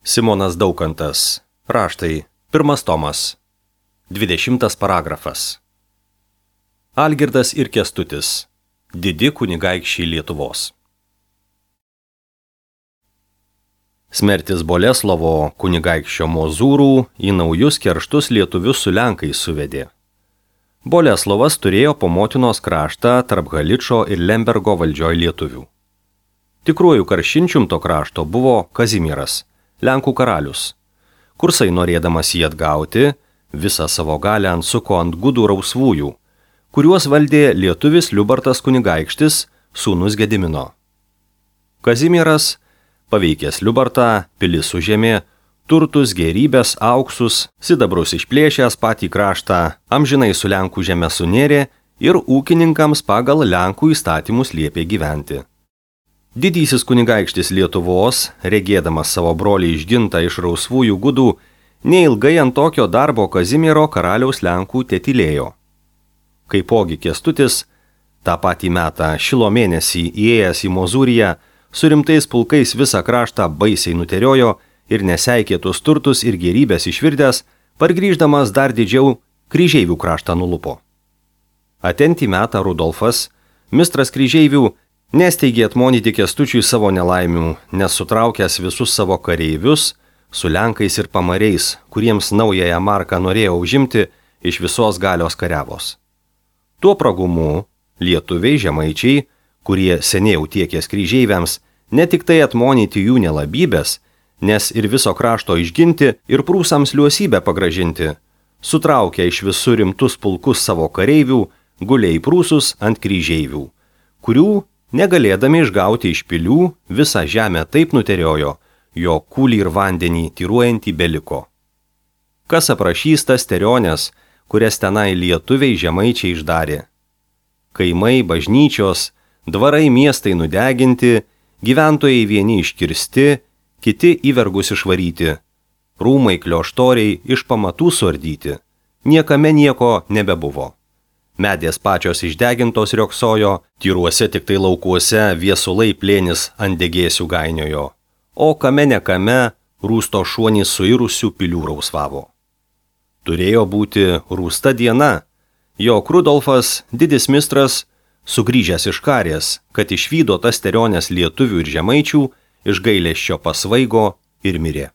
Simonas Daukantas. Raštai. 1 tomas. 20 paragrafas. Algirdas ir Kęstutis. Didi kunigaikščiai Lietuvos. Smertis Boleslovo kunigaikščio Mozūrų į naujus kerštus lietuvius su lenkais suvedė. Boleslovas turėjo po motinos kraštą tarp Haličo ir Lembergo valdžioj lietuvių. Tikruoju karšinčium to krašto buvo Kazimieras, Lenkų karalius. Kursai norėdamas jį atgauti, visą savo galę ansuko ant gudų rausvųjų, kuriuos valdė lietuvis Liubartas kunigaikštis, sūnus Gedimino. Kazimieras, paveikęs Liubartą, pilis užėmė, turtus, gėrybės, auksus, sidabrus išplėšęs patį kraštą, amžinai su Lenkų žeme sunėrė ir ūkininkams pagal Lenkų įstatymus liepė gyventi. Didysis kunigaikštis Lietuvos, regėdamas savo brolį išgintą iš rausvųjų gudų, neilgai ant tokio darbo Kazimiero karaliaus Lenkų tetylėjo. Kaipogi Kęstutis, tą patį metą šilo mėnesį įėjęs į Mozūriją, su rimtais pulkais visą kraštą baisiai nuteriojo ir neseikėtus turtus ir gėrybės išvirdęs, pargrįždamas dar didžiau Kryžeivių kraštą nulupo. Atentį metą Rudolfas, mistras Kryžeivių, nesteigė atmonyti Kęstučiui savo nelaimių, nes sutraukęs visus savo kareivius, su Lenkais ir pamariais, kuriems naująją marką norėjo užimti, iš visos galios kariavos. Tuo pragumu lietuviai žemaičiai, kurie seniai tiekės Kryžeiviams, ne tik tai atmonyti jų nelabybės, nes ir viso krašto išginti ir prūsams liuosybę pagražinti, sutraukė iš visų rimtus pulkus savo kareivių, gulė į prūsus ant Kryžeivių, kurių negalėdami išgauti iš pilių, visą žemę taip nuteriojo, jo kūlį ir vandenį tyruojantį beliko. Kas aprašys tas terionės, kurias tenai lietuviai žemaičiai išdarė? Kaimai, bažnyčios, dvarai miestai nudeginti, gyventojai vieni iškirsti, kiti į vergus išvaryti, rūmai klioštoriai iš pamatų suardyti, niekame nieko nebebuvo. Medės pačios išdegintos rioksojo, tyruose tik tai laukuose viesulai plėnis ant degėsių gainiojo, o kame nekame rūsto šuonys suirusių pilių rausvavo. Turėjo būti rūsta diena, jog Rudolfas, didis mistras, sugrįžęs iš karės, kad išvydo tas terionės lietuvių ir žemaičių, iš gailesčio pasvaigo ir mirė.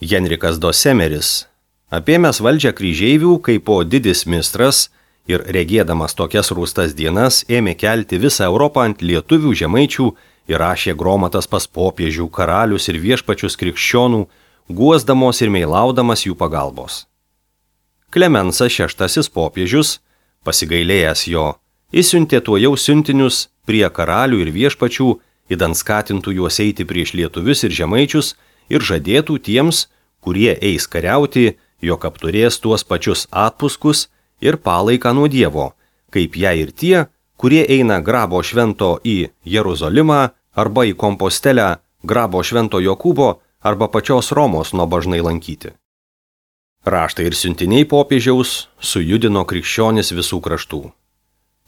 Henrikas Dosemeris, apėmęs valdžią Kryžeivių, kaip po didis mistras, ir regėdamas tokias rūstas dienas ėmė kelti visą Europą ant lietuvių žemaičių ir rašė gromatas pas popiežių, karalius ir viešpačius krikščionų, guosdamos ir meilaudamas jų pagalbos. Klemensas VI popiežius, pasigailėjęs jo, išsiuntė tuojau siuntinius prie karalių ir viešpačių, idant skatintų juos eiti prieš lietuvius ir žemaičius ir žadėtų tiems, kurie eis kariauti, jog apturės tuos pačius atpuskus ir palaiką nuo Dievo, kaip jei ir tie, kurie eina grabo švento į Jeruzalimą arba į Kompostelę, grabo švento Jokūbo arba pačios Romos nuobažnai lankyti. Raštai ir siuntiniai popiežiaus sujudino krikščionis visų kraštų.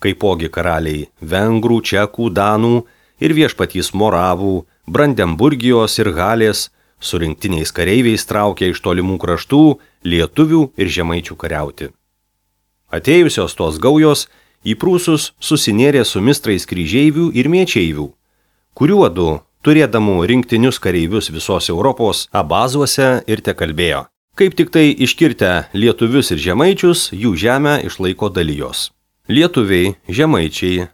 Kaipogi karaliai vengrų, čekų, danų ir viešpatys moravų, Brandenburgijos ir Halės su rinktiniais kareiviais traukė iš tolimų kraštų lietuvių ir žemaičių kariauti. Atėjusios tos gaujos į prūsus susinėrė su mistrais Kryžeivių ir Miečeivių, kuriuodu, turėdamų rinktinius kareivius visos Europos abazuose ir tekalbėjo. Kaip tik tai iškirtę lietuvius ir žemaičius, jų žemę išlaiko dalijos. Lietuviai, žemaičiai,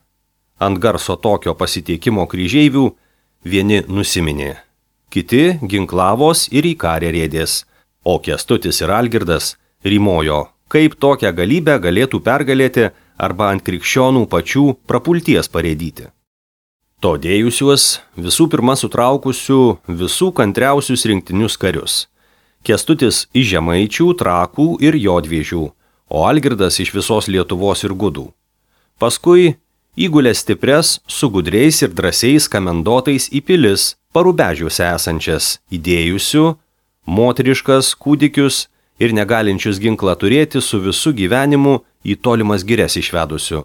ant garso tokio pasiteikimo Kryžeivių, vieni nusiminė, kiti ginklavos ir į karę rėdės, o Kęstutis ir Algirdas rymojo, kaip tokią galybę galėtų pergalėti arba ant krikščionų pačių prapulties parėdyti. To dėjusiuos visų pirma sutraukusių visų kantriausius rinktinius karius. Kęstutis iš žemaičių, trakų ir jodviežių, o Algirdas iš visos Lietuvos ir gudų. Paskui įgulė stipres su gudriais ir drąsiais kamendotais į pilis, Parubežiuose esančias, įdėjusių, moteriškas, kūdikius ir negalinčius ginklą turėti su visu gyvenimu į tolimas girias išvedusių.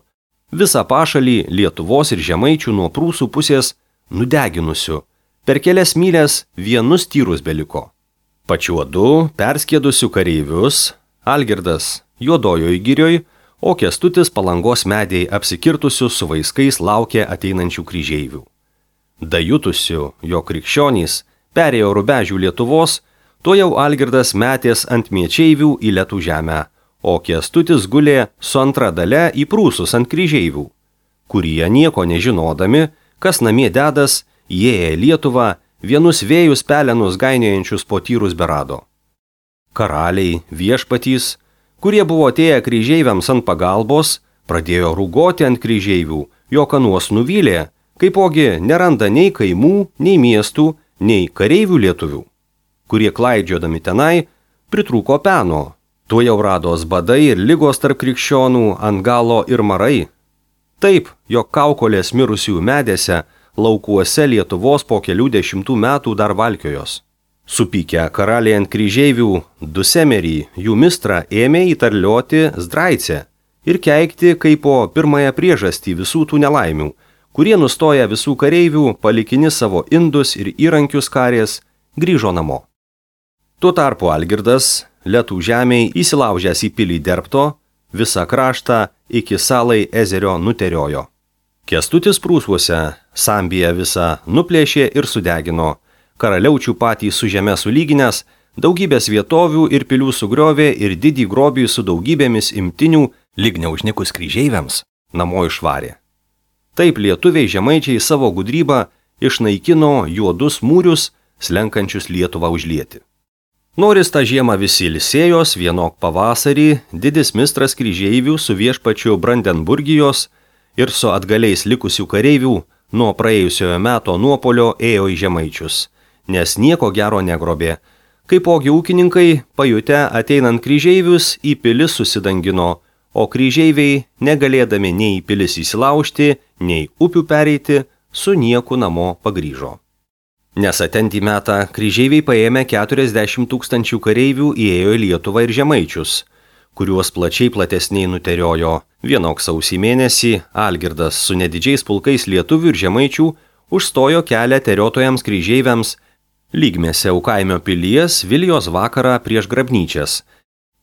Visą pašalį Lietuvos ir žemaičių nuo prūsų pusės nudeginusių, Per kelias mylias vienus tyrus beliko. Pačiuodu perskėdusių kareivius Algirdas Juodojoj girioj, o Kęstutis Palangos medėj apsikirtusių su vaiskais laukė ateinančių kryžeivių. Dajutusių, jo krikščionys perėjo rubežių Lietuvos, to jau Algirdas metės ant miečeivių į Lietų žemę, o Kęstutis gulė su antra dale į prūsus ant kryžeivių, kurie nieko nežinodami, kas namie dedas, įėję į Lietuvą, vienus vėjus pelenus gainiojančius po tyrus berado. Karaliai, viešpatys, kurie buvo atėję kryžeiviams ant pagalbos, pradėjo rūgoti ant kryžeivių, jog anuos nuvylė, kaipogi neranda nei kaimų, nei miestų, nei kareivių lietuvių, kurie klaidžiodami tenai pritrūko peno. Tuo jau rados badai ir ligos tarp krikščionų ant galo ir marai. Taip, jog kaukolės mirusių medėse, laukuose Lietuvos po kelių dešimtų metų dar valkiojos. Supykę karaliai ant kryžeivių Dusemerį, jų mistrą ėmė įtarlioti Zdraicę ir keikti kaip po pirmąją priežastį visų tų nelaimių, kurie nustoja visų kareivių, palikini savo indus ir įrankius karės, grįžo namo. Tuo tarpu Algirdas Lietų žemėj įsilaužęs į pilį Derbto, visą kraštą iki Salai ezerio nuteriojo. Kęstutis prūsuose Sambiją visą nuplėšė ir sudegino, karaliaučių patį su žeme sulyginęs, daugybės vietovių ir pilių sugriovė ir didį grobį su daugybėmis imtinių, lyg neužnikus kryžeiviams, namo išvarė. Taip lietuviai žemaičiai savo gudrybą išnaikino juodus mūrius, slenkančius Lietuvą užlieti. Noris tą žiemą visi ilsėjos, vienok pavasarį, didis mistras kryžeivių su viešpačiu Brandenburgijos ir su atgaliais likusių kareivių nuo praėjusiojo meto nuopolio ėjo į žemaičius, nes nieko gero negrobė. Kaipogi ūkininkai, pajutę ateinant kryžeivius, į pilis susidangino, o kryžeiviai, negalėdami nei į pilis įsilaužti, nei upių pereiti, su nieku namo pagrįžo. Nes atentį metą kryžeiviai paėmę 40 000 kareivių įėjo į Lietuvą ir žemaičius, kuriuos plačiai platesniai nuteriojo. Vienok sausį mėnesį Algirdas su nedidžiais pulkais lietuvių ir žemaičių užstojo kelią teriotojams kryžeiviams Lygmėse Ukaimio pilies Vilijos vakarą prieš Grabnyčias.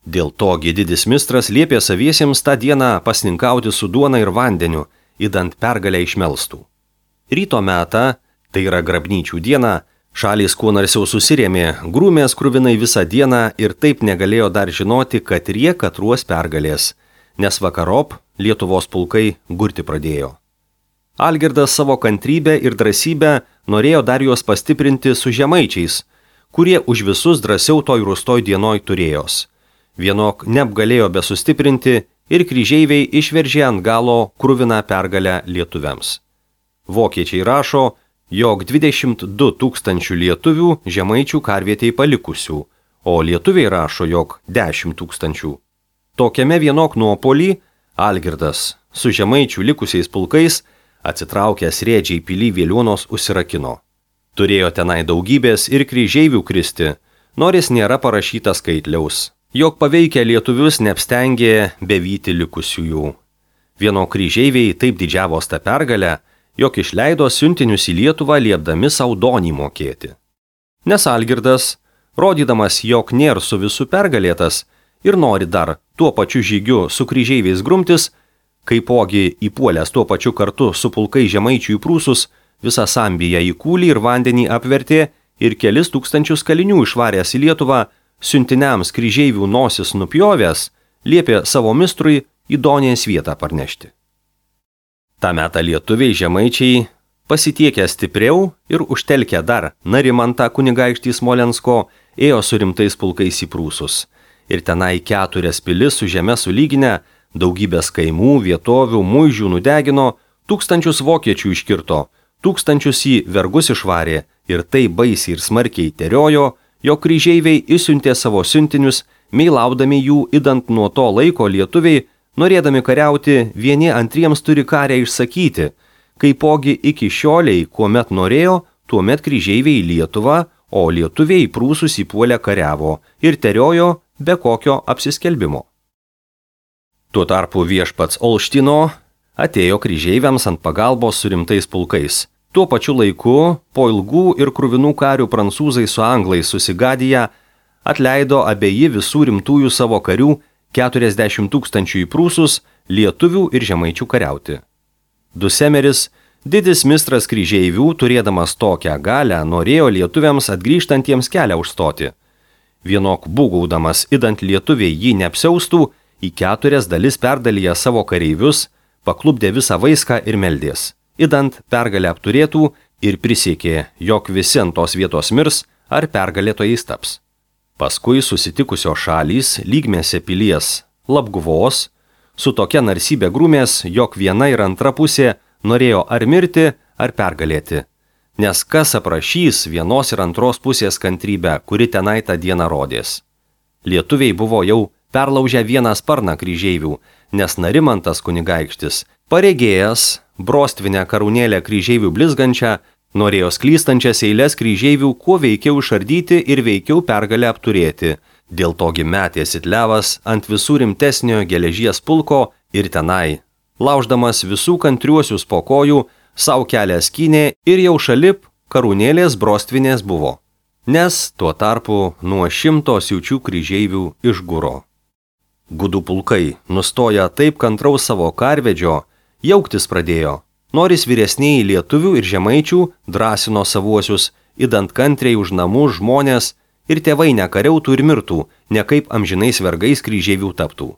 Dėl to didis mistras liepė saviesiems tą dieną pasninkauti su duona ir vandeniu, idant pergalę išmelstų. Ryto metą, tai yra Grabnyčių diena, šalys kuo narsiau susirėmė, grūmės kruvinai visą dieną ir taip negalėjo dar žinoti, kad rie katruos pergalės, nes vakarop Lietuvos pulkai gurti pradėjo. Algirdas savo kantrybę ir drąsybę norėjo dar juos pastiprinti su žemaičiais, kurie už visus drąsiau toj rūstoj dienoj turėjos. Vienok neapgalėjo be sustiprinti ir kryžeiviai išveržė ant galo kruviną pergalę lietuviams. Vokiečiai rašo, jog 22 000 lietuvių žemaičių karvietėj palikusių, o lietuviai rašo, jog 10 000. Tokiame vienok nuopolį Algirdas su žemaičių likusiais pulkais atsitraukęs rėdžiai pilį Vėliuonos užsirakino. Turėjo tenai daugybės ir kryžeivių kristi, nors nėra parašyta skaitliaus, jog paveikę lietuvius neapstengė bevyti likusiųjų. Vieno kryžeiviai taip didžiavos tą pergalę, jog išleido siuntinius į Lietuvą liepdami savo donį mokėti. Nes Algirdas, rodydamas, jog nėra su visų pergalėtas ir nori dar tuo pačiu žygiu su kryžeiviais grumtis, kaipogi įpuolęs tuo pačiu kartu su pulkai žemaičių į prūsus, visą Sambiją į kūlį ir vandenį apvertė ir kelis tūkstančius kalinių išvaręs į Lietuvą, siuntiniams kryžeivių nosis nupjovęs, liepė savo mistrui į Donės vietą parnešti. Ta metą lietuviai žemaičiai, pasitiekę stipriau ir užtelkę dar Narimantą kunigaikštį Smolensko, ėjo su rimtais pulkais į prūsus. Ir tenai 4 pilis su žeme sulyginę, daugybės kaimų, vietovių, muižių nudegino, 1000 vokiečių iškirto, 1000 į vergus išvarė ir tai baisiai ir smarkiai teriojo, jog kryžeiviai išsiuntė savo siuntinius, meilaudami jų idant nuo to laiko lietuviai, norėdami kariauti, vieni antriems turi karę išsakyti, kaipogi iki šioliai, kuomet norėjo, tuomet kryžeiviai į Lietuvą, o lietuviai į prūsus įpuolę kariavo ir teriojo be kokio apsiskelbimo. Tuo tarpu viešpats Olštino atėjo kryžeiviams ant pagalbos su rimtais pulkais, Tuo pačiu laiku, po ilgų ir kruvinų karių prancūzai su anglais susigadiję, atleido abieji visų rimtųjų savo karių 40 000 į prūsus, lietuvių ir žemaičių kariauti. Dusemeris, didis mistras kryžeivių, turėdamas tokią galią, norėjo lietuviams atgrįžtantiems kelią užstoti. Vienok būgaudamas, idant lietuviai jį neapsiaustų, į 4 dalis perdalyja savo kareivius, paklupdė visą vaiską ir meldės, idant pergalę apturėtų ir prisiekė, jog visi ant tos vietos mirs ar pergalėtojais taps. Paskui susitikusios šalys lygmėse pilies Labguvos su tokia narsybė grūmės, jog viena ir antra pusė norėjo ar mirti, ar pergalėti. Nes kas aprašys vienos ir antros pusės kantrybę, kuri tenai tą dieną rodės. Lietuviai buvo jau perlaužę vieną sparną kryžeivių, nes Narimantas kunigaikštis, paregėjęs, brostvinę karūnėlę kryžeivių blizgančią, norėjo sklystančias eilės kryžeivių kuo veikiau išardyti ir veikiau pergalę apturėti. Dėl togi metė Sitlevas ant visų rimtesnio geležies pulko ir tenai, lauždamas visų kantriuosius po kojų, savo kelią skynė ir jau šalip karūnėlės brostvinės buvo, nes tuo tarpu nuo 100 siaučių kryžeivių išguro. Gudų pulkai, nustoja taip kantraus savo karvedžio, jauktis pradėjo. Noris vyresniai lietuvių ir žemaičių drąsino savuosius, idant kantriai už namų žmonės ir tėvai nekariautų ir mirtų, ne kaip amžinais vergais kryžeivių taptų.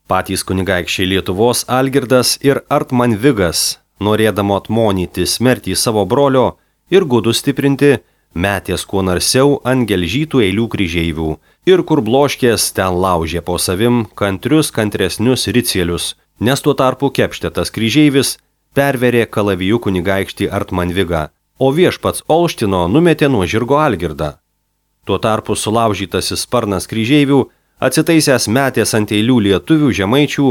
Patys kunigaikščiai Lietuvos Algirdas ir Artmanvigas, norėdamo atmonyti smertį savo brolio ir gudus stiprinti, metės kuo narsiau ant gelžytų eilių kryžeivių ir kur bloškės ten laužė po savim kantresnius ricielius, nes tuo tarpu Kepštetas kryžeivis perverė kalavijų kunigaikštį Artmanvigą, o viešpats Olštino numetė nuo žirgo Algirdą. Tuo tarpu sulaužytasis sparnas kryžeivių atsitaisęs metės ant eilių lietuvių žemaičių,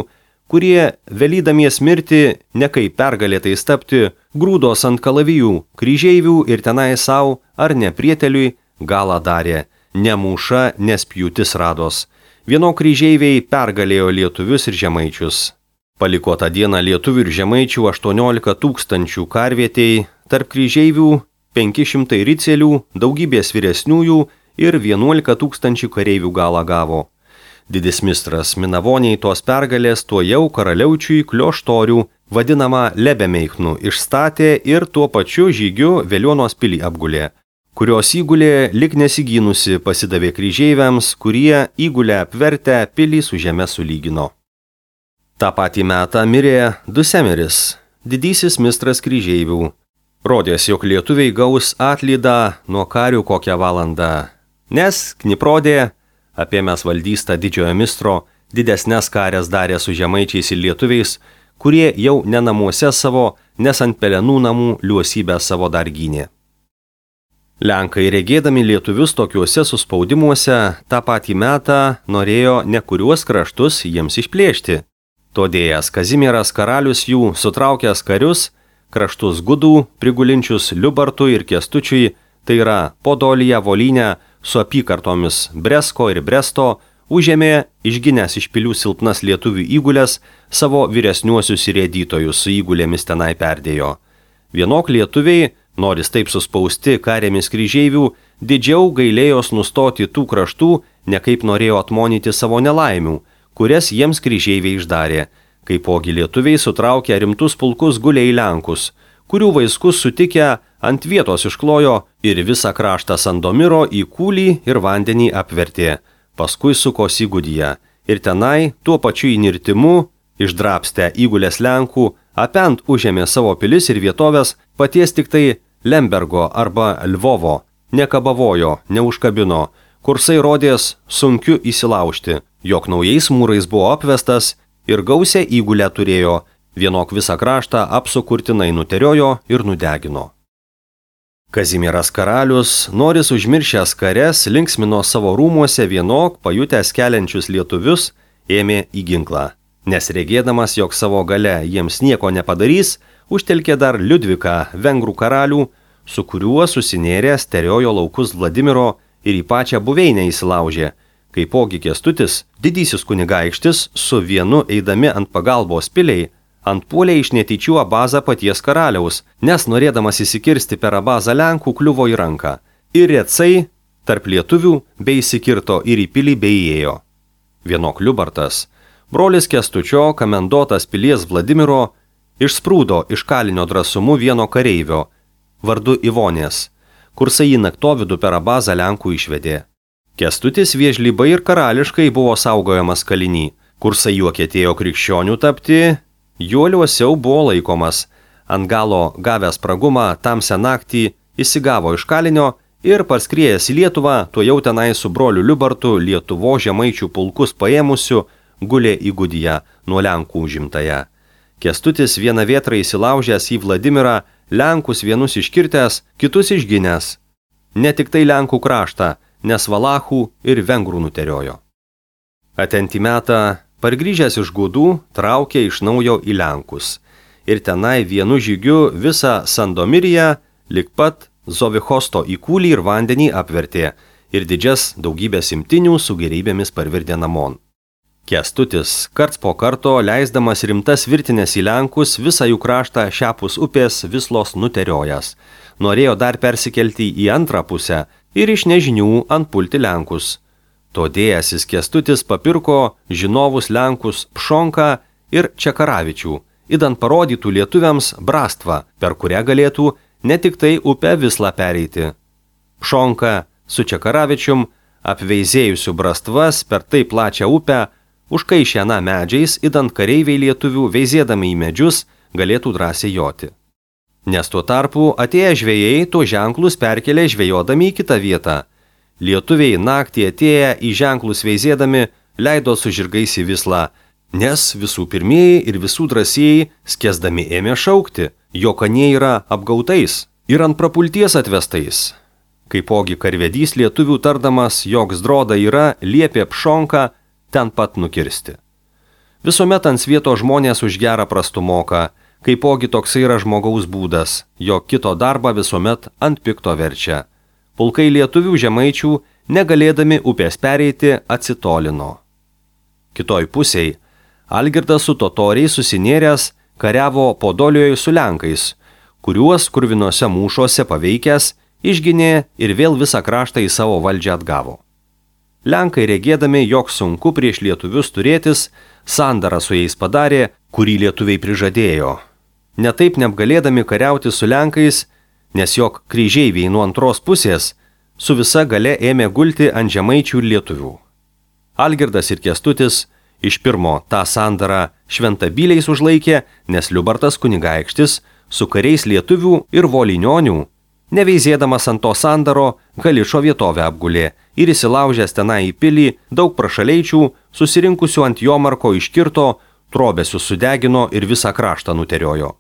kurie, velydamies mirti, ne kaip pergalėtais tapti, grūdos ant kalavijų, kryžeivių ir tenai savo ar neprieteliui galą darė, ne mūša, nes pjūtis rados. Vieno kryžeiviai pergalėjo lietuvius ir žemaičius. Paliko tą dieną lietuvių ir žemaičių 18 000 karvietei, tarp kryžeivių 500 ricelių, daugybės vyresniųjų ir 11 000 kareivių galą gavo. Didis mistras Minavoniai tos pergalės tuo jau karaliaučiui Klioštorių, vadinamą Lebemeichnu, išstatė ir tuo pačiu žygiu Veliuonos pilį apgulė, kurios įgulė lik nesigynusi pasidavė kryžeiviams, kurie įgulę apvertę pilį su žeme sulygino. Ta patį metą mirė Dusemeris, didysis mistras kryžeivių. Rodės, jog lietuviai gaus atlydą nuo karių kokią valandą, nes Kniprodė, apėmęs valdystą didžiojo mistro, didesnes karės darė su žemaičiais ir lietuviais, kurie jau ne namuose savo, nes ant pelenų namų liuosybę savo dar gynė. Lenkai, regėdami lietuvius tokiuose suspaudimuose, tą patį metą norėjo ne kuriuos kraštus jiems išplėšti. Todėjas Kazimieras karalius jų, sutraukęs karius, kraštus gudų, prigulinčius Liubartui ir Kęstučiui, tai yra Podoliją, Volynę, su apykartomis Bresko ir Bresto, užėmė, išginęs iš pilių silpnas lietuvių įgulės, savo vyresniuosius rėdytojus su įgulėmis tenai perdėjo. Vienok lietuviai, noris taip suspausti karėmis kryžeivių, didžiau gailėjos nustoti tų kraštų, ne kaip norėjo atmonyti savo nelaimių, kurias jiems kryžeiviai išdarė, kaipogi lietuviai sutraukė rimtus pulkus guliai Lenkus, kurių vaiskus sutikę ant vietos išklojo ir visą kraštą Sandomiro į kūlį ir vandenį apvertė, paskui sukosi Gudiją ir tenai tuo pačiu įnirtimu, išdrapstę įgulės Lenkų, apent užėmė savo pilis ir vietovės, paties tik tai Lembergo arba Lvovo, nekabavojo, neužkabino, kursai rodės sunkiu įsilaužti, jog naujais mūrais buvo apvestas ir gausią įgulę turėjo, vienok visą kraštą apsukurtinai nuteriojo ir nudegino. Kazimieras karalius, noris užmiršęs kares, linksmino savo rūmuose vienok pajutęs keliančius lietuvius, ėmė į ginklą, nes regėdamas, jog savo gale jiems nieko nepadarys, užtelkė dar Liudviką, vengrų karalių, su kuriuo susinėręs teriojo laukus Vladimiro ir į pačią buveinę įsilaužė, kaipogi Kęstutis, didysis kunigaikštis, su vienu eidami ant pagalbos piliai, antpuolė iš netyčių Abazą paties karaliaus, nes norėdamas įsikirsti per Abazą Lenkų kliuvo į ranką. Ir Recai tarp lietuvių bei įsikirto ir į pilį bei įėjo. Vienok Liubartas, brolis Kęstučio, komendotas pilies Vladimiro, išsprūdo iš kalinio drąsumu vieno kareivio, vardu Ivonės, kursai jį naktovidų per Abazą Lenkų išvedė. Kęstutis viežlybai ir karališkai buvo saugojamas kalinį, kursai juo ketėjo krikščionių tapti, juo liuosiau buvo laikomas, ant galo gavęs pragumą tamsią naktį įsigavo iš kalinio ir parskriejęs į Lietuvą, tuo jau tenai su broliu Liubartu Lietuvos žemaičių pulkus paėmusiu, gulė į Gudiją nuo Lenkų užimtąją. Kęstutis vieną vėtrą įsilaužęs į Vladimirą, Lenkus vienus iškirtęs, kitus išginęs. Ne tik tai Lenkų kraštą, nes Valachų ir Vengrų nuteriojo. Atentį metą, pargrįžęs iš Gudų, traukė iš naujo į Lenkus. Ir tenai vienu žygiu visą Sandomiriją, lig pat Zovichosto į kūlį ir vandenį apvertė ir didžias daugybės imtinių su gerybėmis parvirdė namon. Kęstutis karts po karto, leisdamas rimtas virtinės į Lenkus, visą jų kraštą šiapus upės Vislos nuteriojas. Norėjo dar persikelti į antrą pusę ir iš nežinių antpulti Lenkus. Todėjęsis Kęstutis papirko žinovus Lenkus Pšonką ir Čekaravičių, idant parodytų lietuviams brastvą, per kurią galėtų ne tik tai upę Vislą pereiti. Pšonka su Čekaravičium, apveizėjusių brastvas per tai plačią upę, užkaišė aną medžiais, idant kareiviai lietuvių, veizėdami į medžius, galėtų drąsiai joti. Nes tuo tarpu atėję žvejai to ženklus perkelė žvejodami į kitą vietą. Lietuviai naktį atėję į ženklus veizėdami leido su žirgais į Vislą, nes visų pirmieji ir visų drąsieji skęsdami ėmė šaukti, jog anie yra apgautais ir ant prapulties atvestais. Kaipogi karvedys lietuvių tardamas, jog Zdroda yra, liepė Pšonką ten pat nukirsti. Visuomet ant svieto žmonės už gerą prastų moka, kaipogi toksai yra žmogaus būdas, jog kito darbą visuomet ant pikto verčia. Pulkai lietuvių žemaičių, negalėdami upės pereiti, atsitolino. Kitoj pusėj, Algirdas su totoriais susinėręs kariavo Podolijoje su Lenkais, kuriuos kurvinose mūšuose paveikęs, išginė ir vėl visą kraštą į savo valdžią atgavo. Lenkai regėdami, jog sunku prieš lietuvius turėtis, sandarą su jais padarė, kurį lietuviai prižadėjo. Netaip neapgalėdami kariauti su Lenkais, nes jog kryžeiviai nuo antros pusės su visa gale ėmė gulti ant žemaičių ir lietuvių. Algirdas ir Kęstutis iš pirmo tą sandarą šventabyliais užlaikė, nes Liubartas kunigaikštis su kariais lietuvių ir volinionių, neveizėdamas ant to sandaro, Galičo vietovę apgulė ir įsilaužęs tenai į pilį daug prašaleičių, susirinkusių ant Jomarko iškirto, trobesius sudegino ir visą kraštą nuteriojo.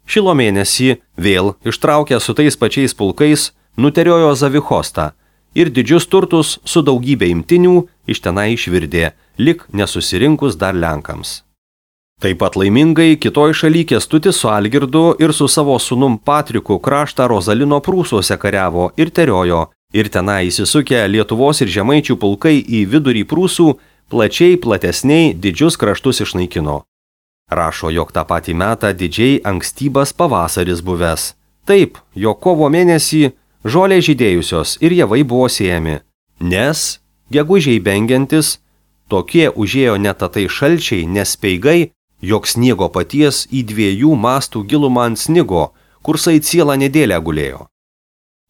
Šilo mėnesį vėl ištraukę su tais pačiais pulkais, nuteriojo Zavichostą ir didžius turtus su daugybė imtinių iš tenai išvirdė, lik nesusirinkus dar Lenkams. Taip pat laimingai kitoj šaly Kęstutis su Algirdu ir su savo sūnum Patriku kraštą Rozalino prūsuose kariavo ir teriojo, ir tenai įsisukę Lietuvos ir žemaičių pulkai į vidurį prūsų plačiai platesniai didžius kraštus išnaikino. Rašo, jog tą patį metą didžiai ankstybas pavasaris buvęs. Taip, jog kovo mėnesį žolė žydėjusios ir javai buvo siejami, nes, gegužiai bengiantis, tokie užėjo netatai šalčiai, nespeigai, jog sniego paties į 2 mastų gilumą ant snigo, kursai cielą nedėlę gulėjo.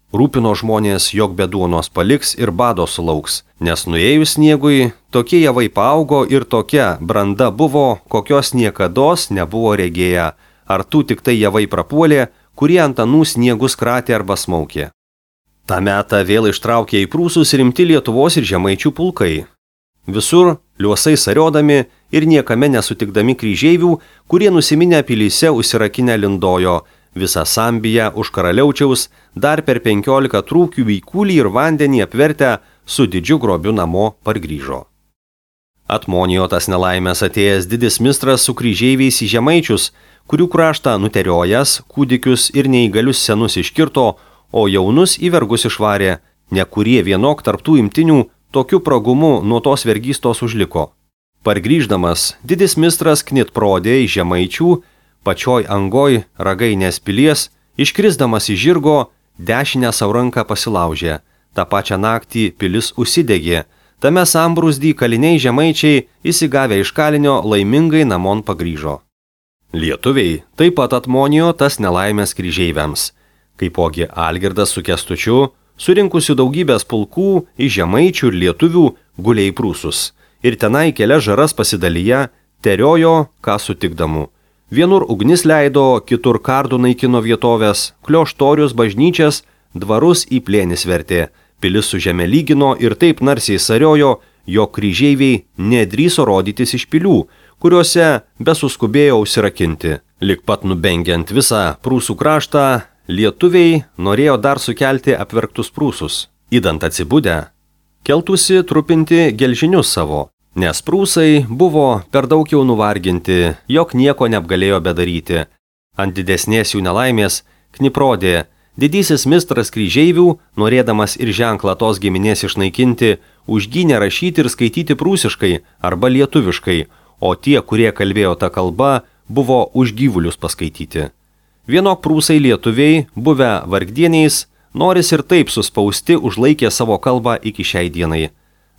Rūpino žmonės, jog be duonos paliks ir bado sulauks, nes nuėjus sniegui, tokie javai paaugo ir tokia branda buvo, kokios niekados nebuvo regėję, ar tų tik tai javai prapuolė, kurie ant anų sniegus kratė arba smaukė. Ta metą vėl ištraukė į prūsus rimti Lietuvos ir žemaičių pulkai. Visur liuosai sariodami ir niekame nesutikdami kryžeivių, kurie nusiminę pilyse užsirakinę lindojo, visą Sambiją už karaliaučiaus dar per 15 trūkių į kūlį ir vandenį apvertę su didžiu grobiu namo pargrįžo. Atmonijo tas nelaimės atėjęs didis mistras su kryžeiviais į žemaičius, kurių kraštą nuteriojas, kūdikius ir neįgalius senus iškirto, o jaunus į vergus išvarė, ne kurie vienok tarptų imtinių tokiu pragumu nuo tos vergystos užliko. Pargrįždamas, didis mistras knit prodė į žemaičių, pačioj angoj Ragainės pilies, iškrisdamas iš žirgo, dešinę savo ranką pasilaužė. Ta pačią naktį pilis užsidegė. Tame sambrūzdį kaliniai žemaičiai, įsigavę iš kalinio, laimingai namon pagrįžo. Lietuviai taip pat atmonijo tas nelaimės kryžeiviams. Kaipogi Algirdas su Kęstučiu, surinkusiu daugybės pulkų iš žemaičių ir lietuvių, gulė į prūsus. Ir tenai kelias žaras pasidalyje, teriojo, ką sutikdamų. Vienur ugnis leido, kitur kardų naikino vietovės, klioštorius, bažnyčias, dvarus į plėnis vertė. Pilis su žeme lygino ir taip narsiai sariojo, jog kryžeiviai nedrįso rodytis iš pilių, kuriuose besuskubėjo užsirakinti. Lik pat nubengiant visą prūsų kraštą, lietuviai norėjo dar sukelti apverktus prūsus. Įdant atsibudę, keltųsi trupinti gelžinius savo, nes prūsai buvo per daug jau nuvarginti, jog nieko neapgalėjo bedaryti. Ant didesnės jų nelaimės Kniprodė, didysis mistras kryžeivių, norėdamas ir ženklą tos giminės išnaikinti, užgynė rašyti ir skaityti prūsiškai arba lietuviškai, o tie, kurie kalbėjo tą kalbą, buvo už gyvulius paskaityti. Vienok prūsai lietuviai, buvę vargdieniais, noris ir taip suspausti užlaikė savo kalbą iki šiai dienai.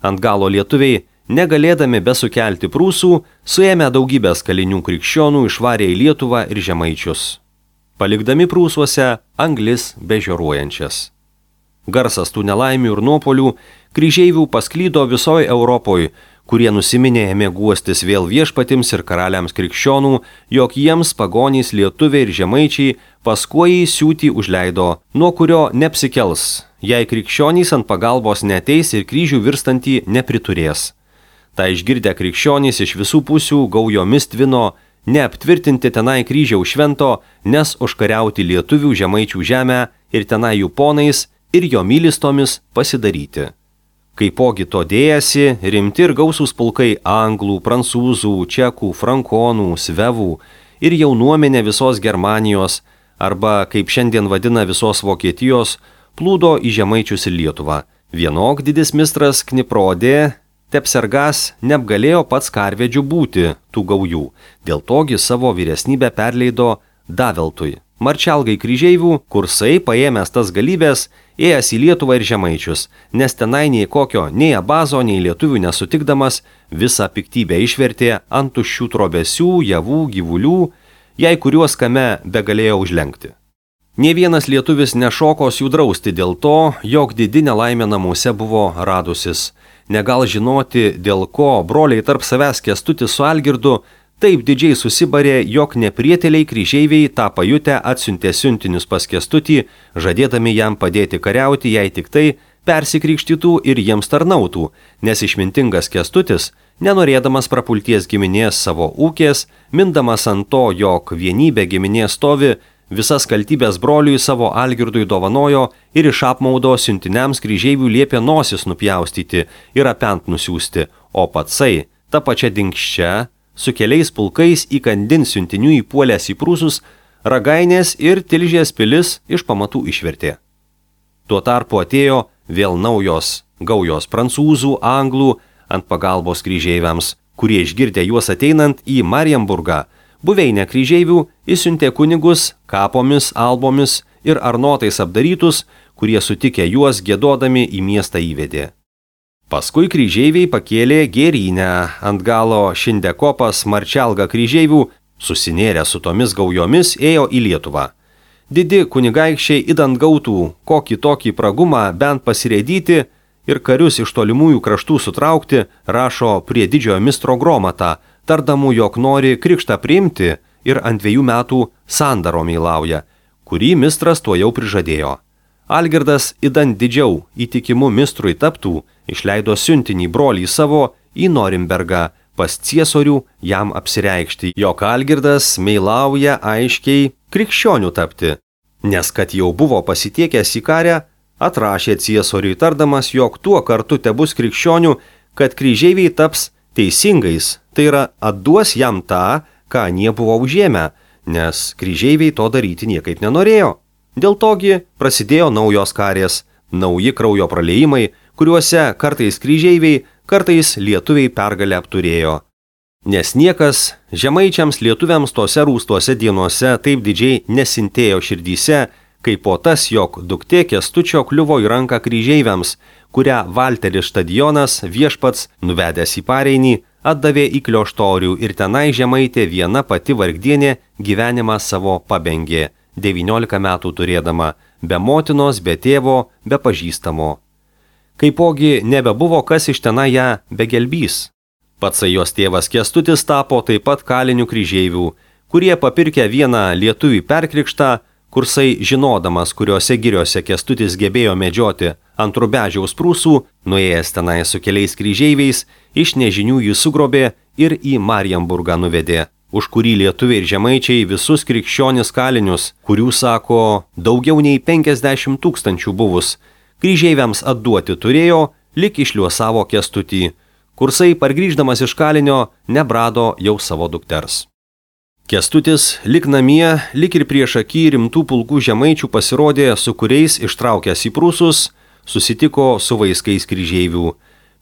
Ant galo lietuviai, negalėdami besukelti prūsų, suėmė daugybės kalinių krikščionų, išvarė į Lietuvą ir žemaičius, palikdami prūsuose anglis bežioruojančias. Garsas tų nelaimių ir nuopolių kryžeivių pasklydo visoje Europoje, kurie nusiminė ėmė guostis vėl viešpatims ir karaliams krikščionų, jog jiems pagonys lietuviai ir žemaičiai paskuojį siūtį užleido, nuo kurio neapsikels, jei krikščionys ant pagalbos neteis ir kryžių virstantį nepriturės. Ta išgirdę krikščionys iš visų pusių gaujomis tvino, neaptvirtinti tenai kryžiaus švento, nes užkariauti lietuvių žemaičių žemę ir tenai jų ponais ir jo mylistomis pasidaryti. Kaipogi to dėjasi rimti ir gausūs pulkai anglų, prancūzų, čekų, frankonų, svevų ir jaunuomenė visos Germanijos, arba, kaip šiandien vadina visos Vokietijos, plūdo į žemaičius ir Lietuvą. Vienok didis mistras Kniprodė, Tepsergas neapgalėjo pats karvedžių būti tų gaujų, dėl togi savo vyresnybę perleido Daveltui, marčialgai kryžeivių, kursai paėmęs tas galybės, ėjęs į Lietuvą ir žemaičius, nes tenai nei kokio, nei abazo, nei lietuvių nesutikdamas, visą piktybę išvertė ant tuščių trobesių, javų, gyvulių, jei kuriuos kame begalėjo užlenkti. Nė vienas lietuvis nešokos jų drausti dėl to, jog didi nelaimė namuose buvo radusis. Negal žinoti, dėl ko broliai tarp savęs Kęstutis su Algirdu taip didžiai susibarė, jog neprietėliai kryžeiviai tą pajutę atsiuntė siuntinius pas Kęstutį, žadėdami jam padėti kariauti, jei tik tai persikrikštytų ir jiems tarnautų, nes išmintingas Kęstutis, nenorėdamas prapulties giminės savo ūkės, mindamas ant to, jog vienybė giminės stovi, visas kaltybės broliui savo Algirdui dovanojo ir iš apmaudo siuntiniams kryžeivių liepė nosis nupjaustyti ir apent nusiųsti, o patsai, ta pačia dinkščia, su keliais pulkais įkandin siuntinių įpuolęs į prūsus, Ragainės ir Tilžės pilis iš pamatų išvertė. Tuo tarpu atėjo vėl naujos gaujos prancūzų, anglų ant pagalbos kryžeiviams, kurie išgirdę juos ateinant į Marienburgą, buveinę kryžeivių įsiuntė kunigus kapomis, albomis ir arnotais apdarytus, kurie sutikę juos giedodami į miestą įvedė. Paskui kryžeiviai pakėlė Gėrynę, ant galo Šindekopas marčialga kryžeivių, susinėrę su tomis gaujomis, ėjo į Lietuvą. Didi kunigaikščiai idant gautų kokį tokį pragumą bent pasirėdyti ir karius iš tolimųjų kraštų sutraukti, rašo prie didžiojo mistro Gromatą, tardamų, jog nori krikštą priimti ir ant 2 metų sandaro meilauja, kurį mistras tuo jau prižadėjo. Algirdas idant didžiau įtikimu mistrui taptų, išleido siuntinį brolį savo į Norimbergą pas ciesorių jam apsireikšti, jog Algirdas meilauja aiškiai krikščionių tapti, nes kad jau buvo pasitiekęs į karę, atrašė ciesoriui tardamas, jog tuo kartu tebus krikščionių, kad kryžeiviai taps teisingais, tai yra atduos jam tą, ką anie buvo užėmę, nes kryžeiviai to daryti niekaip nenorėjo. Dėl togi prasidėjo naujos karės, nauji kraujo praliejimai, kuriuose kartais kryžeiviai, kartais lietuviai pergalę apturėjo. Nes niekas žemaičiams lietuviams tose rūstuose dienose taip didžiai nesintėjo širdyse, kaip po tas, jog duktė Kęstučio kliuvo į ranką kryžeiviams, kurią Valteris Štadionas viešpats, nuvedęs į Pareinį, atdavė į Klioštorių ir tenai žemaitė viena pati vargdienė gyvenimą savo pabengė, 19 metų turėdama, be motinos, be tėvo, be pažįstamo. Kaipogi nebebuvo kas iš tenai ją begelbys. Patsai jos tėvas Kęstutis tapo taip pat kalinių kryžeivių, kurie papirkę vieną lietuvį perkrikštą, Kursai, žinodamas, kuriuose giriuose Kęstutis gebėjo medžioti ant Rubežiaus prūsų, nuėjęs tenai su keliais kryžeiviais, iš nežinių jį sugrobė ir į Marienburgą nuvedė, už kurį lietuviai ir žemaičiai visus krikščionis kalinius, kurių, sako, daugiau nei 50 000 buvus, kryžeiviams atduoti turėjo, lik išliuosavo Kęstutį. Kursai, pargrįždamas iš kalinio, nebrado jau savo dukters. Kęstutis, lik namie, lik ir prieš akį rimtų pulkų žemaičių pasirodė, su kuriais ištraukęs į prūsus, susitiko su vaiskais kryžeivių.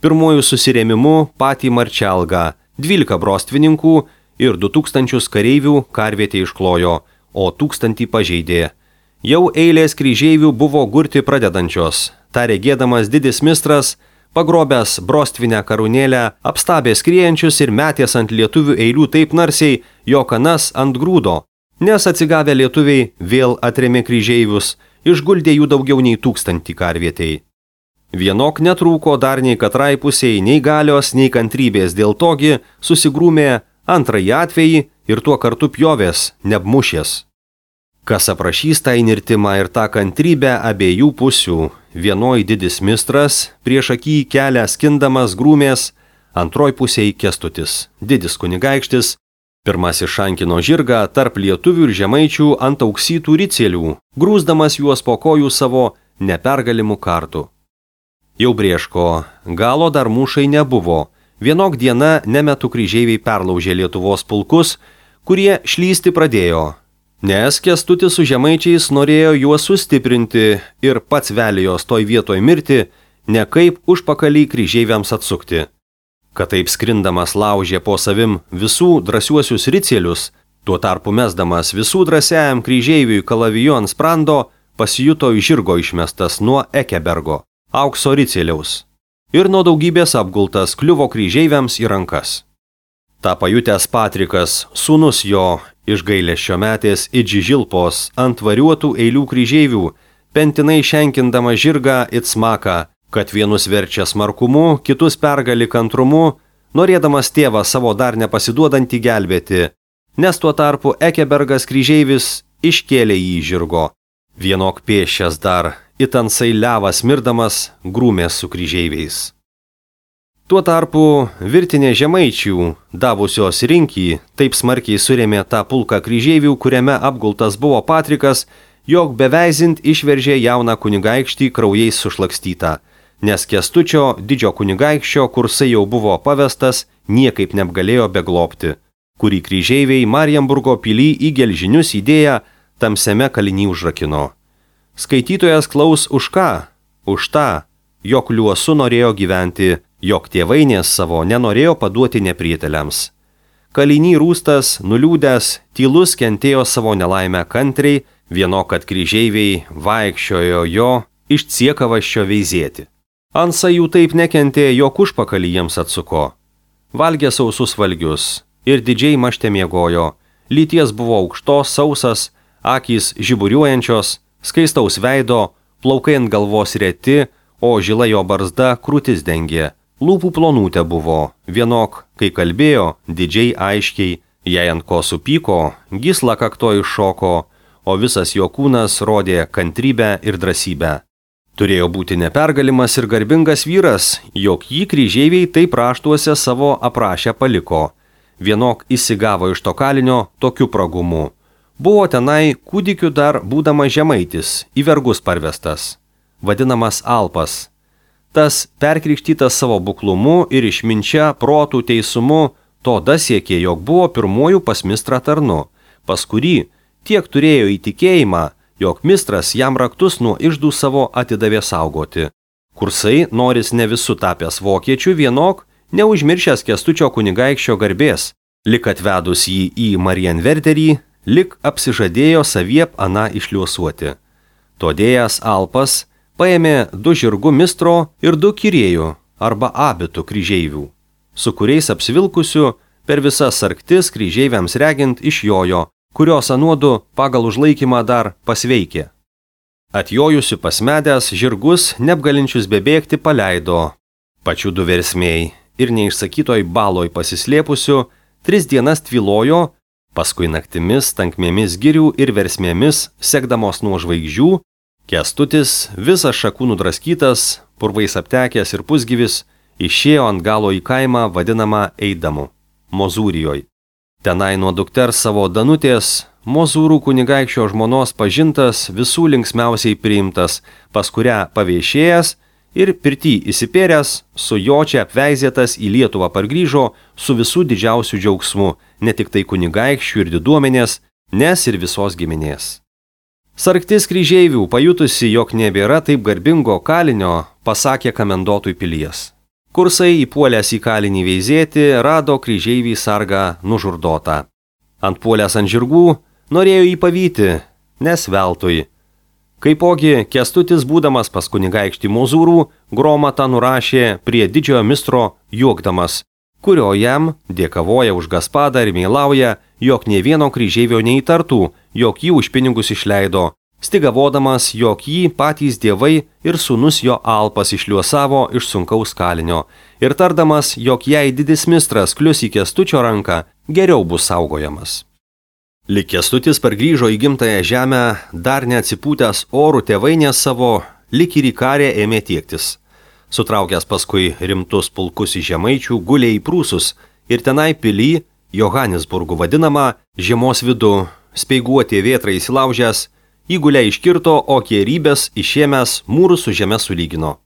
Pirmojų susirėmimu patį Marčelgą, 12 brostvininkų ir 2000 kareivių karvietė išklojo, o 1000 pažeidė. Jau eilės kryžeivių buvo gurti pradedančios. Ta regėdamas didis mistras, pagrobęs brostvinę karūnėlę, apstabė skriejančius ir metės ant lietuvių eilių taip narsiai, jog anas ant grūdo, nes atsigavę lietuviai vėl atrėmė kryžeivius, išguldė jų daugiau nei 1000 karvietei. Vienok netrūko dar nei katrai pusiai, nei galios, nei kantrybės, dėl togi susigrūmė antrąjį atvejį ir tuo kartu pjovės, neapmušės. Kas aprašys tą įnirtimą ir tą kantrybę abiejų pusių, vienoj didis mistras, prieš akį kelią skindamas grūmės, antroj pusėj Kęstutis, didis kunigaikštis, pirmasis šankino žirgą tarp lietuvių ir žemaičių ant auksytų ricėlių, grūsdamas juos po kojų savo nepergalimų kartų. Jau brėško, galo dar mūšai nebuvo, vienok diena nemetų kryžeiviai perlaužė Lietuvos pulkus, kurie šlysti pradėjo. Nes Kęstutis su žemaičiais norėjo juos sustiprinti ir pats velijos toj vietoj mirti, ne kaip užpakalį kryžeiviams atsukti. Kad taip skrindamas laužė po savim visų drąsiuosius ricėlius, tuo tarpu mesdamas visų drąsiajam kryžeiviui kalavijo ant sprando, pasijuto iš žirgo išmestas nuo Ekebergo, aukso ricėliaus, ir nuo daugybės apgultas kliuvo kryžeiviams į rankas. Ta pajutęs Patrikas, sūnus jo, iš gailesčio metės it Žilpos ant variuotų eilių kryžeivių, pentinai šenkindama žirgą it smaką, kad vienus verčia smarkumu, kitus pergali kantrumu, norėdamas tėvą savo dar nepasiduodantį gelbėti, nes tuo tarpu Ekebergas kryžeivis iškėlė jį žirgo. Vienok pėsčias dar, it ansai levas mirdamas, grūmės su kryžeiviais. Tuo tarpu virtinė žemaičių, davusios rinkį, taip smarkiai surėmė tą pulką kryžeivių, kuriame apgultas buvo Patrikas, jog beveizint išveržė jauną kunigaikštį kraujais sušlakstytą, nes Kęstučio didžio kunigaikščio Kursai jau buvo pavestas, niekaip neapgalėjo beglobti, kurį kryžeiviai Marienburgo pily į gelžinius įdėję tamsiame kaliny užrakino. Skaitytojas klaus už ką? Už tą, jog liuosu norėjo gyventi, jog tėvainės savo nenorėjo paduoti neprieteliams. Kaliny rūstas, nuliūdęs, tylus kentėjo savo nelaimę kantriai, vieno kad kryžeiviai vaikščiojo jo iš ciekavaščio veizėti. Ansai jų taip nekentė, jog užpakalį jiems atsuko. Valgė sausus valgius ir didžiai mašte miegojo, lyties buvo aukštos, sausas, akys žiburiuojančios, skaistaus veido, plaukai ant galvos reti, o žila jo barzda krūtis dengė. Lūpų plonutė buvo, vienok, kai kalbėjo, didžiai aiškiai, jei ant ko supyko, gysla kakto iššoko, o visas jo kūnas rodė kantrybę ir drąsybę. Turėjo būti nepergalimas ir garbingas vyras, jog jį kryžeiviai taip raštuose savo aprašę paliko. Vienok įsigavo iš to kalinio tokiu pragumu. Buvo tenai kūdikiu dar būdamas žemaitis, į vergus parvestas, vadinamas Alpas. Tas perkrikštytas savo buklumu ir išminčia, protų, teisumu, to dasiekė, jog buvo pirmojų pas mistrą tarnu, pas kurį tiek turėjo įtikėjimą, jog mistras jam raktus nuo iždų savo atidavė saugoti. Kursai, noris ne visų tapęs vokiečių, vienok neužmiršęs Kęstučio kunigaikščio garbės, lik atvedus jį į Marienwerderį, lik apsižadėjo saviep aną išliuosuoti. Todėjas Alpas paėmė 2 žirgų mistro ir 2 kirėjų arba abitų kryžeivių, su kuriais apsivilkusiu per visas sarktis kryžeiviams regint išjojo, kurios anuodu pagal užlaikymą dar pasveikė. Atjojusiu pasmedęs žirgus neapgalinčius bebėgti paleido. Pačių 2 versmėjai ir neišsakytoj baloj pasislėpusiu 3 dienas tvilojo, paskui naktimis tankmėmis girių ir versmėmis, sekdamos nuo žvaigždžių, Kęstutis, visas šakų nudraskytas, purvais aptekęs ir pusgyvis, išėjo ant galo į kaimą vadinamą Eidamu, Mozūrijoj. Tenai nuo dukters savo Danutės, Mozūrų kunigaikščio žmonos pažintas, visų linksmiausiai priimtas, pas kurią paviešėjęs ir pirty įsipėręs, su jočia apveizėtas į Lietuvą pargrįžo su visų didžiausių džiaugsmu, ne tik tai kunigaikščių ir diduomenės, nes ir visos giminės. Sarktis kryžeivių, pajutusi, jog nebėra taip garbingo kalinio, pasakė kamendotui pilies. Kursai įpuolęs į kalinį veizėti, rado kryžeivį sargą nužurdotą. Antpuolęs ant žirgų, norėjo jį pavyti, nes veltui. Kaipogi Kęstutis, būdamas pas kunigaikštį Mozūrų, gromatą nurašė prie didžiojo mistro juokdamas, kurio jam dėkavoja už gaspadą ir meilauja, jog nė vieno kryžeivio neįtartų, jog jį už pinigus išleido, stigavodamas, jog jį patys dievai ir sūnus jo Alpas išliuosavo iš sunkaus kalinio, ir tardamas, jog jei didis mistras klius į Kęstučio ranką, geriau bus saugojamas. Lik Kęstutis pargrįžo į gimtąją žemę, dar neatsipūtęs orų tėvainės savo, lik ir į karę ėmė tiektis. Sutraukęs paskui rimtus pulkus į žemaičių, gulė į Prūsus ir tenai pily, Johanesburgu vadinamą, žiemos vidu, speiguotė vėtra įsilaužęs, įgulę iškirto, o kierybės išėmęs mūrų su žeme sulygino.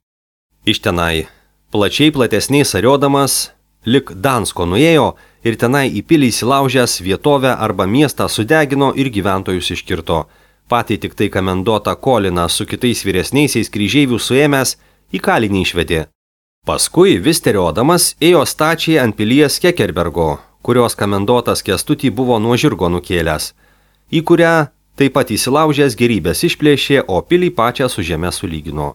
Iš tenai, plačiai platesniai sariodamas, lik Dansko nuėjo ir tenai į pilį įsilaužęs vietovę arba miestą sudegino ir gyventojus iškirto. Patį tik tai kamendotą Koliną su kitais vyresniaisiais kryžeivių suėmęs į kalinį išvedė. Paskui vis teriodamas ėjo stačiai ant pilies Kekerbergo, kurios kamendotas Kęstutį buvo nuo žirgo nukėlęs, į kurią taip pat įsilaužęs gerybės išplėšė, o pilį pačią su žeme sulygino.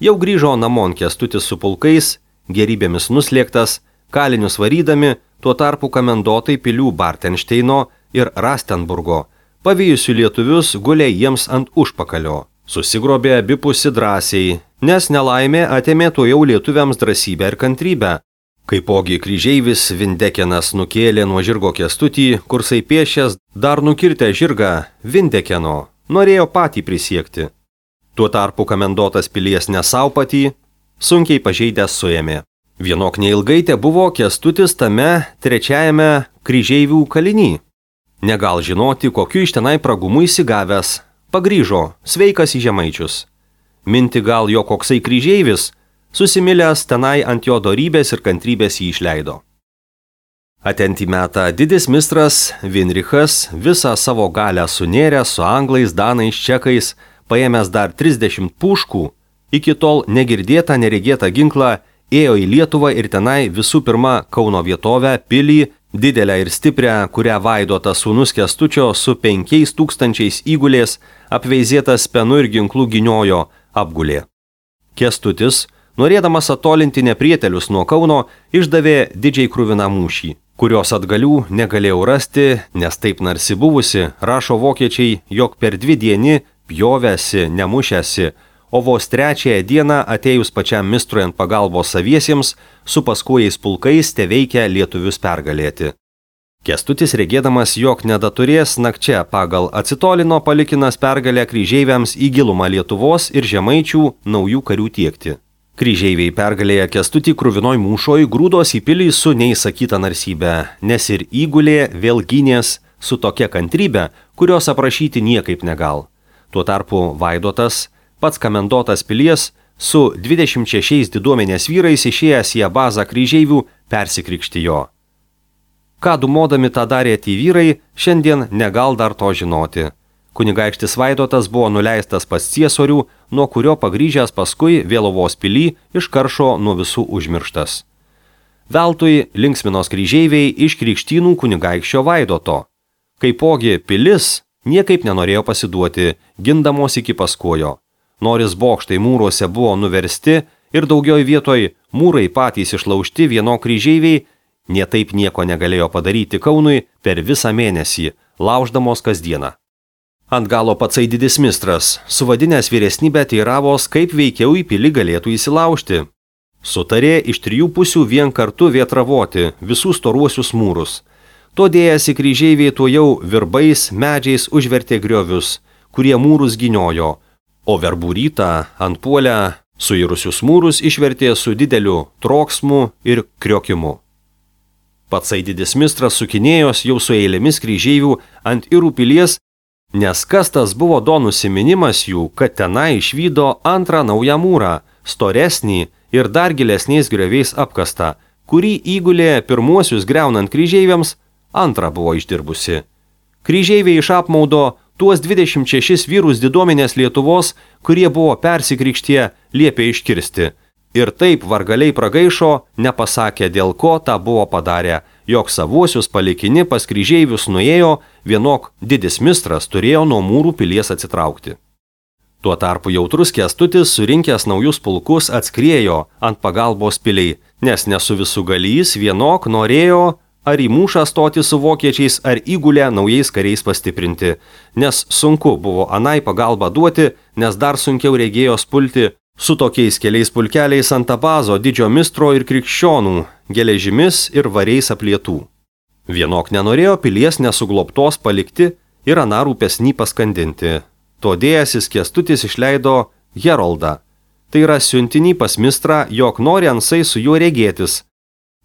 Jau grįžo namon Kęstutis su pulkais, gerybėmis nuslėgtas, kalinius varydami, tuo tarpu kamendotai pilių Bartenšteino ir Rastenburgo, pavijusių lietuvius, gulė jiems ant užpakalio. Susigrobė abipusi drąsiai, nes nelaimė atėmė to jau lietuviams drąsybę ir kantrybę. Kaipogi kryžeivis Vindekenas nukėlė nuo žirgo Kęstutį, kursai piešęs dar nukirtę žirgą Vindekeno, norėjo patį prisiekti. Tuo tarpu kamendotas pilies nesau patį, sunkiai pažeidęs suėmė. Vienok neilgai te buvo Kęstutis tame 3 kryžeivių kaliny. Negal žinoti, kokiu iš tenai pragumu įsigavęs, pagrįžo, sveikas į žemaičius. Minti gal jo koksai kryžeivis, susimilęs tenai ant jo dorybės ir kantrybės jį išleido. Atentį metą didis mistras Vinrichas visą savo galę sunėręs su anglais, danais, čekais, paėmęs dar 30 puškų, iki tol negirdėtą neregėtą ginklą, ėjo į Lietuvą ir tenai visų pirma Kauno vietovę, pilį, didelę ir stiprią, kurią Vaidotas sūnus Kęstučio su 5000 įgulės, apveizėtas penu ir ginklų giniojo, apgulė. Kęstutis, norėdamas atolinti neprietelius nuo Kauno, išdavė didžiai kruviną mūšį, kurios atgalių negalėjau rasti, nes taip narsi buvusi, rašo vokiečiai, jog per 2 dienį pjovėsi, nemušėsi, o vos 3 dieną atėjus pačiam mistrui ant pagalbos saviesiems, su paskujais pulkais teveikia lietuvius pergalėti. Kęstutis regėdamas, jog nedaturės nakčia pagal atsitolino palikinas pergalę kryžeiviams į gilumą Lietuvos ir žemaičių naujų karių tiekti. Kryžeiviai pergalėję Kęstutį kruvinoj mūšoj grūdos į pilį su neįsakyta narsybė, nes ir įgulė vėl gynės su tokia kantrybė, kurios aprašyti niekaip negal. Tuo tarpu Vaidotas, pats kamendotas pilies, su 26 diduomenės vyrais išėjęs į bazą kryžeivių persikrikštijo. Ką dumodami tą darė tie vyrai, šiandien negal dar to žinoti. Kunigaikštis Vaidotas buvo nuleistas pas ciesorių, nuo kurio pagrįžęs paskui Vėlovos pilį iš karšo nuo visų užmirštas. Veltui linksminos kryžeiviai iš Krikštynų kunigaikščio Vaidoto. Kaipogi pilis niekaip nenorėjo pasiduoti, gindamos iki paskojo. Noris bokštai mūruose buvo nuversti ir daugioj vietoj mūrai patys išlaužti, vieno kryžeiviai nietaip nieko negalėjo padaryti Kaunui per visą mėnesį, lauždamos kasdieną. Ant galo patsai didis mistras, suvadinęs vyresnybę teiravos, kaip veikiau į pilį galėtų įsilaužti. Sutarė iš 3 pusių vien kartu vietravoti visus storuosius mūrus. To dėjęsi kryžeiviai tuojau virbais, medžiais užvertė griovius, kurie mūrus gyniojo, o verbų rytą ant puolę suirusius mūrus išvertė su dideliu troksmu ir kriokimu. Patsai didis mistras sukinėjos jau su eilėmis kryžeivių ant Irų pilies, nes kas tas buvo do nusiminimas jų, kad tenai išvydo antrą naują mūrą, storesnį ir dar gilesniais grioviais apkastą, kurį įgulė pirmuosius greunant kryžeiviams, antrą buvo išdirbusi. Kryžeiviai iš apmaudo tuos 26 vyrus diduomenės Lietuvos, kurie buvo persikrikštie, liepė iškirsti. Ir taip vargaliai pragaišo, nepasakė dėl ko tą buvo padarę, jog savuosius palikini pas kryžeivius nuėjo, vienok didis mistras turėjo nuo mūrų pilies atsitraukti. Tuo tarpu jautrus Kęstutis, surinkęs naujus pulkus, atskriejo ant pagalbos piliai, nes nesu visų galys vienok norėjo ar į mūšą stoti su vokiečiais, ar įgulę naujais kariais pastiprinti, nes sunku buvo anai pagalbą duoti, nes dar sunkiau regėjo spulti su tokiais keliais pulkeliais ant Abazo, didžio mistro ir krikščionų, geležimis ir variais aplietų. Vienok nenorėjo pilies nesuglobtos palikti ir aną rūpesnį paskandinti. Todėjasis Kęstutis išleido Heroldą, tai yra siuntinį pas mistrą, jog nori ansai su juo regėtis.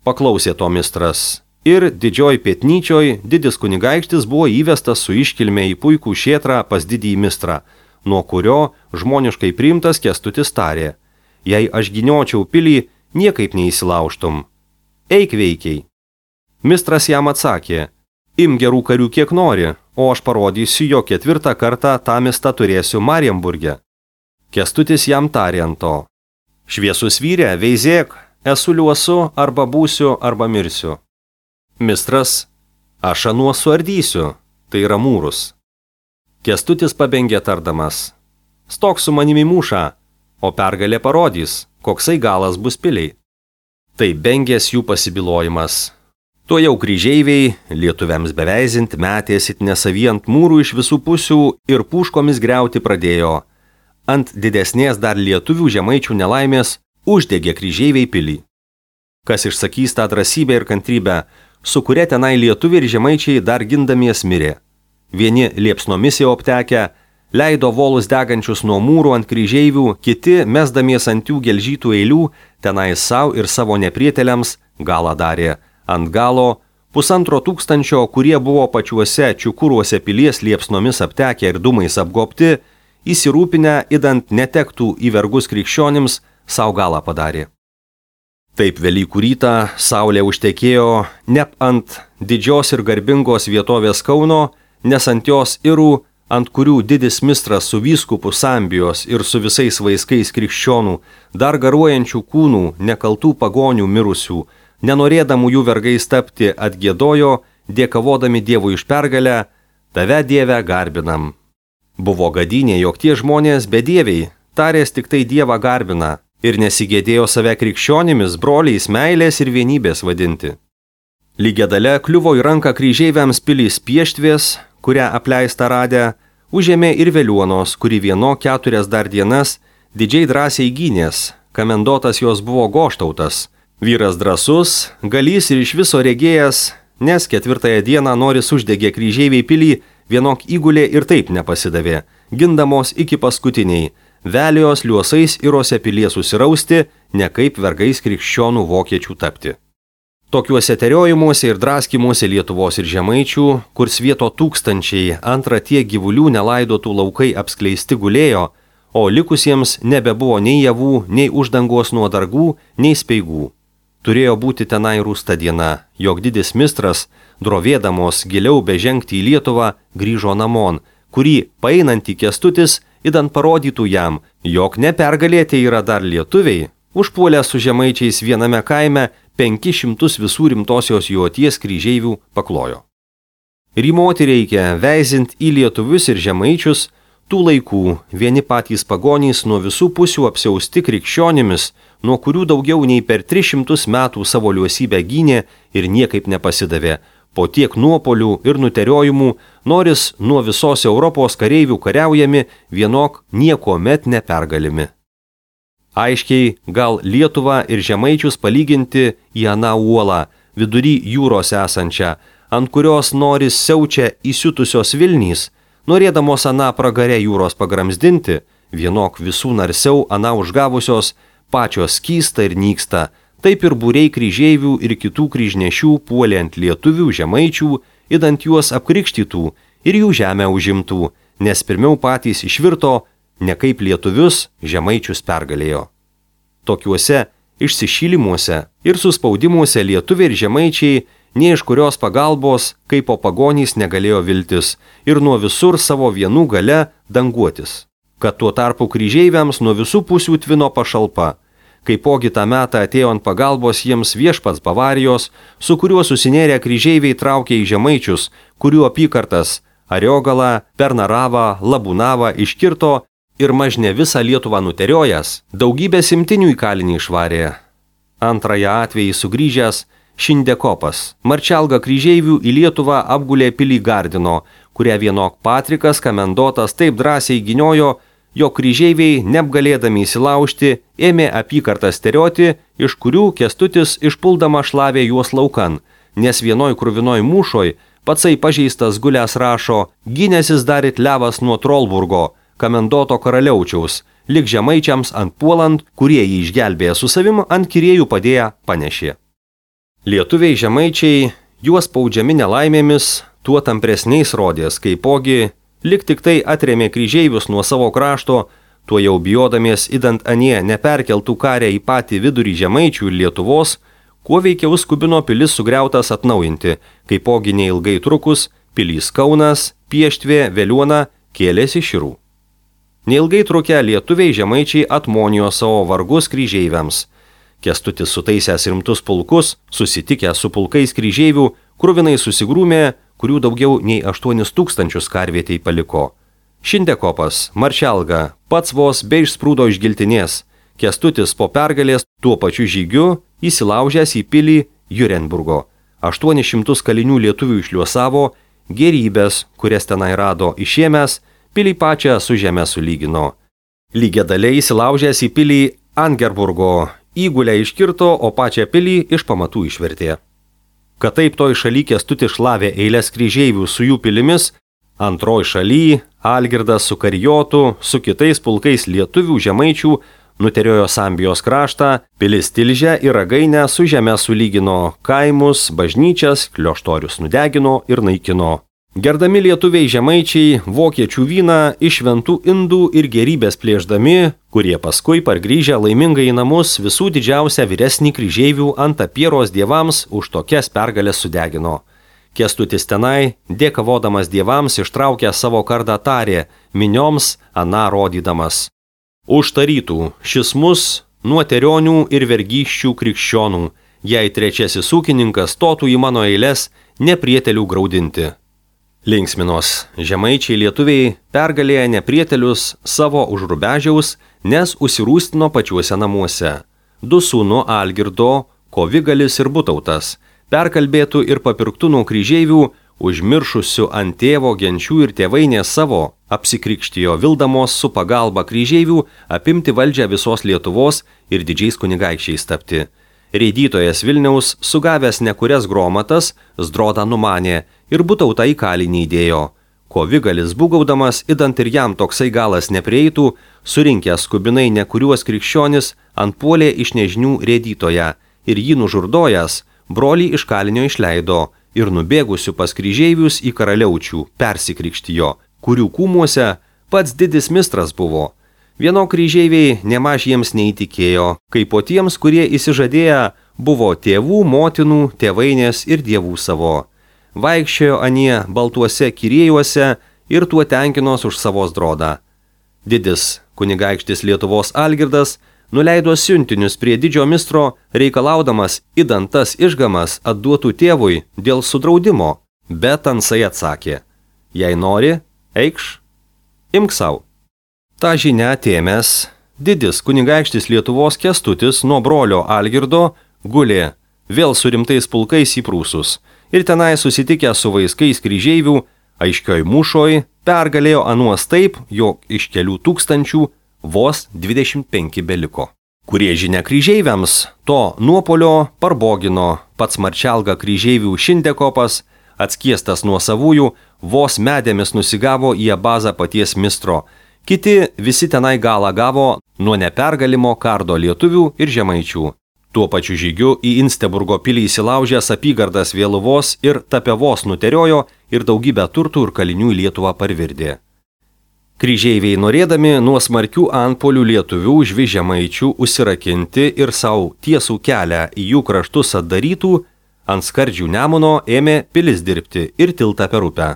Paklausė to mistras. Ir didžioj pietnyčioj didis kunigaikštis buvo įvestas su iškilme į puikų šėtrą pas didįjį mistrą, nuo kurio žmoniškai priimtas Kęstutis tarė: jei aš giniočiau pilį, niekaip neįsilaužtum. Eik veikiai. Mistras jam atsakė: im gerų karių kiek nori, o aš parodysiu, jo 4 kartą tą miestą turėsiu Marienburge. Kęstutis jam tarė ant to: šviesus vyrė, veizėk, esu liuosu, arba būsiu, arba mirsiu. Mistras: aš anuos suardysiu, tai yra mūrus. Kęstutis pabengė tardamas: stok su manimi mūšą, o pergalė parodys, koksai galas bus piliai. Tai bengės jų pasibylojimas. Tuo jau kryžeiviai, lietuviams beveizint, metėsi nesavijant mūrų iš visų pusių ir puškomis griauti pradėjo. Ant didesnės dar lietuvių žemaičių nelaimės uždegė kryžeiviai pilį. Kas išsakys tą drąsybę ir kantrybę, su kuria tenai lietuviai ir žemaičiai dar gindamies mirė. Vieni liepsnomis jau aptekę, leido volus degančius nuo mūrų ant kryžeivių, kiti, mesdamies ant jų gelžytų eilių, tenai savo ir savo neprieteliams galą darė. Ant galo 1,5 tūkstančio, kurie buvo pačiuose čiukuruose pilies liepsnomis aptekę ir dūmais apgobti, įsirūpinę, idant netektų į vergus krikščionims, savo galą padarė. Taip Velykų rytą saulė užtekėjo ne ant didžios ir garbingos vietovės Kauno, nes ant jos Irų, ant kurių didis mistras su vyskupu Sambijos ir su visais vaiskais krikščionų, dar garuojančių kūnų, nekaltų pagonių mirusių, nenorėdamų jų vergais tapti, atgiedojo, dėkavodami Dievui iš pergalę: tave, Dieve, garbinam. Buvo gadynė, jog tie žmonės bedieviai, tarės tik tai Dievą garbina ir nesigėdėjo save krikščionimis, broliais meilės ir vienybės vadinti. Lygiadale kliuvo į ranką kryžeiviams pilys Pieštvės, kurią apleistą radę, užėmė ir Veliuonos, kuri vieno 4 dar dienas didžiai drąsiai gynės, kamendotas jos buvo Goštautas. Vyras drąsus, galys ir iš viso regėjęs, nes 4 dieną noris uždegė kryžeiviai pilį, vienok įgulė ir taip nepasidavė, gindamos iki paskutiniai, velijos liuosais Irose pilies susirausti, ne kaip vergais krikščionų vokiečių tapti. Tokiuose teriojimuose ir draskimuose Lietuvos ir žemaičių, kur svieto tūkstančiai, antra tiek gyvulių nelaidotų laukai apskleisti gulėjo, o likusiems nebebuvo nei javų, nei uždangos nuo dargų, nei speigų. Turėjo būti tenai rūsta diena, jog didis mistras, drovėdamos giliau bežengti į Lietuvą, grįžo namon, kurį paeinantį Kęstutis idant parodytų jam, jog nepergalėti yra dar lietuviai, užpuolę su žemaičiais viename kaime 500 visų rimtosios joties kryžeivių paklojo. Rymoti reikia, veizint į lietuvius ir žemaičius, tų laikų vieni patys pagonys nuo visų pusių apsiausti krikščionimis, nuo kurių daugiau nei per 300 metų savo liuosybę gynė ir niekaip nepasidavė, po tiek nuopolių ir nuteriojimų, noris nuo visos Europos kareivių kariaujami, vienok niekuomet nepergalimi. Aiškiai, gal Lietuvą ir žemaičius palyginti į aną uolą, vidury jūros esančią, ant kurios noris siaučia įsiutusios Vilnys, norėdamos aną pragarę jūros pagramzdinti, vienok visų narsiau aną užgavusios, pačios skysta ir nyksta, taip ir būriai kryžeivių ir kitų kryžnešių puolė ant lietuvių, žemaičių, idant juos apkrikštytų ir jų žemę užimtų, nes pirmiau patys išvirto, ne kaip lietuvius, žemaičius pergalėjo. Tokiuose išsišylimuose ir suspaudimuose lietuviai ir žemaičiai nė iš kurios pagalbos, kaip po pagonys negalėjo viltis ir nuo visur savo vienų gale danguotis, kad tuo tarpu kryžeiviams nuo visų pusių tvino pašalpa. Kaipogi tą metą atėjo ant pagalbos jiems viešpats Bavarijos, su kuriuo susinėrę kryžeiviai traukė į žemaičius, kurių apykartas Ariogalą, Pernaravą, Labūnavą iškirto ir mažne visą Lietuvą nuteriojas, daugybę simtinių į kalinį išvarė. Antrąją atvejį sugrįžęs Šindekopas, Marčelga kryžeivių į Lietuvą apgulė pilį Gardino, kurią vienok Patrikas Kamendotas taip drąsiai gyniojo, jo kryžeiviai, neapgalėdami įsilaužti, ėmė apykartas terioti, iš kurių Kęstutis išpuldama šlavė juos laukan, nes vienoj kruvinoj mūšoj patsai pažeistas gulęs rašo, gynėsis dar it levas nuo Trolburgo, Kamendoto karaliaučiaus, lik žemaičiams ant puolant, kurie jį išgelbėję su savim ant kirėjų padėję panešė. Lietuviai žemaičiai, juos spaudžiami nelaimėmis, tuo tampresniais rodės, kaipogi lik tik tai atrėmė kryžeivius nuo savo krašto, tuo jau bijodamies idant anie neperkeltų karę į patį vidurį žemaičių ir Lietuvos, kuo veikiau skubino pilis sugriautas atnaujinti, kaipogi neilgai trukus, pilys Kaunas, Pieštvė, Veliuona kėlėsi Širų. Neilgai trukę lietuviai žemaičiai atmonijo savo vargus kryžeiviams. Kęstutis sutaisęs rimtus pulkus, susitikęs su pulkais kryžeivių, kruvinai susigrūmė, kurių daugiau nei 8000 karvietei paliko. Šindekopas, Marčelga, pats vos be išsprūdo iš giltinės. Kęstutis po pergalės tuo pačiu žygiu įsilaužęs į pilį Jurenburgo. 800 kalinių lietuvių išliuosavo, gerybės, kurias tenai rado išėmęs, pilį pačią su žeme sulygino. Lygiadaliai įsilaužęs į pilį Angerburgo, įgulę iškirto, o pačią pilį iš pamatų išvertė. Kad taip toj šaly Kęstutis šlavė eilės kryžeivių su jų pilimis, antroj šaly Algirdas su Karijotu, su kitais pulkais lietuvių žemaičių nuteriojo Sambijos kraštą, pilis Tilžę ir Ragainę su žeme sulygino, kaimus, bažnyčias, klioštorius nudegino ir naikino. Gerdami lietuviai žemaičiai vokiečių vyną iš šventų indų ir gerybės plėšdami, kurie paskui pargrįžę laimingai į namus visų didžiausią vyresnį kryžeivių ant apieros dievams už tokias pergalės sudegino. Kęstutis tenai, dėkavodamas dievams, ištraukė savo kardą tarė, minioms aną rodydamas. Užtarytų šis mus nuo terionių ir vergyščių krikščionų, jei trečiasis ūkininkas stotų į mano eilės neprietelių graudinti. Linksminos žemaičiai lietuviai pergalėję neprietelius savo už Rubežiaus, nes užsirūstino pačiuose namuose. Du sūnų Algirdo, Kovigalis ir Butautas, perkalbėtų ir papirktų nuo kryžeivių, užmiršusių ant tėvo genčių ir tėvainės savo, apsikrikštijo vildamos su pagalba kryžeivių apimti valdžią visos Lietuvos ir didžiais kunigaikščiais tapti. Reidytojas Vilniaus, sugavęs nekurias gromatas, Zdrodą numanė ir Butautą į kalinį įdėjo. Kovigalis būgaudamas, idant ir jam toksai galas neprieitų, surinkęs skubinai nekuriuos krikščionis, antpuolė iš nežinių reidytoją ir jį nužurdojęs, brolį iš kalinio išleido ir nubėgusių pas kryžeivius į karaliaučių persikrikštijo, kurių kūmuose pats didis mistras buvo. Vieno kryžeiviai nemaž jiems neįtikėjo, kaip po tiems, kurie įsižadėję buvo tėvų, motinų, tėvainės ir dievų savo. Vaikščiojo anie baltuose kirėjuose ir tuo tenkinos už savo Zdrodą. Didis kunigaikštis Lietuvos Algirdas nuleido siuntinius prie didžio mistro, reikalaudamas įdantas išgamas atduotų tėvui dėl sudraudimo, bet Tansai atsakė: jei nori, eikš, imk sau. Ta žinia atėmęs, didis kunigaikštis Lietuvos Kęstutis nuo brolio Algirdo gulė vėl su rimtais pulkais į Prūsus ir tenai susitikę su vaiskais kryžeivių aiškioj mūšoj pergalėjo anuos taip, jog iš kelių tūkstančių vos 25 beliko. Kurie žinia kryžeiviams to nuopolio parbogino pats marčialga kryžeivių Šindekopas, atskiestas nuo savųjų, vos medėmis nusigavo į abazą paties mistro. Kiti visi tenai galą gavo nuo nepergalimo kardo lietuvių ir žemaičių. Tuo pačiu žygiu į Insteburgo pilį įsilaužęs apygardas Vėluvos ir Tapevos nuteriojo ir daugybę turtų ir kalinių į Lietuvą parvirdė. Kryžeiviai norėdami nuo smarkių antpolių lietuvių žvi žemaičių užsirakinti ir savo tiesų kelią į jų kraštus atdarytų, ant skardžių Nemuno ėmė pilis dirbti ir tiltą per upę.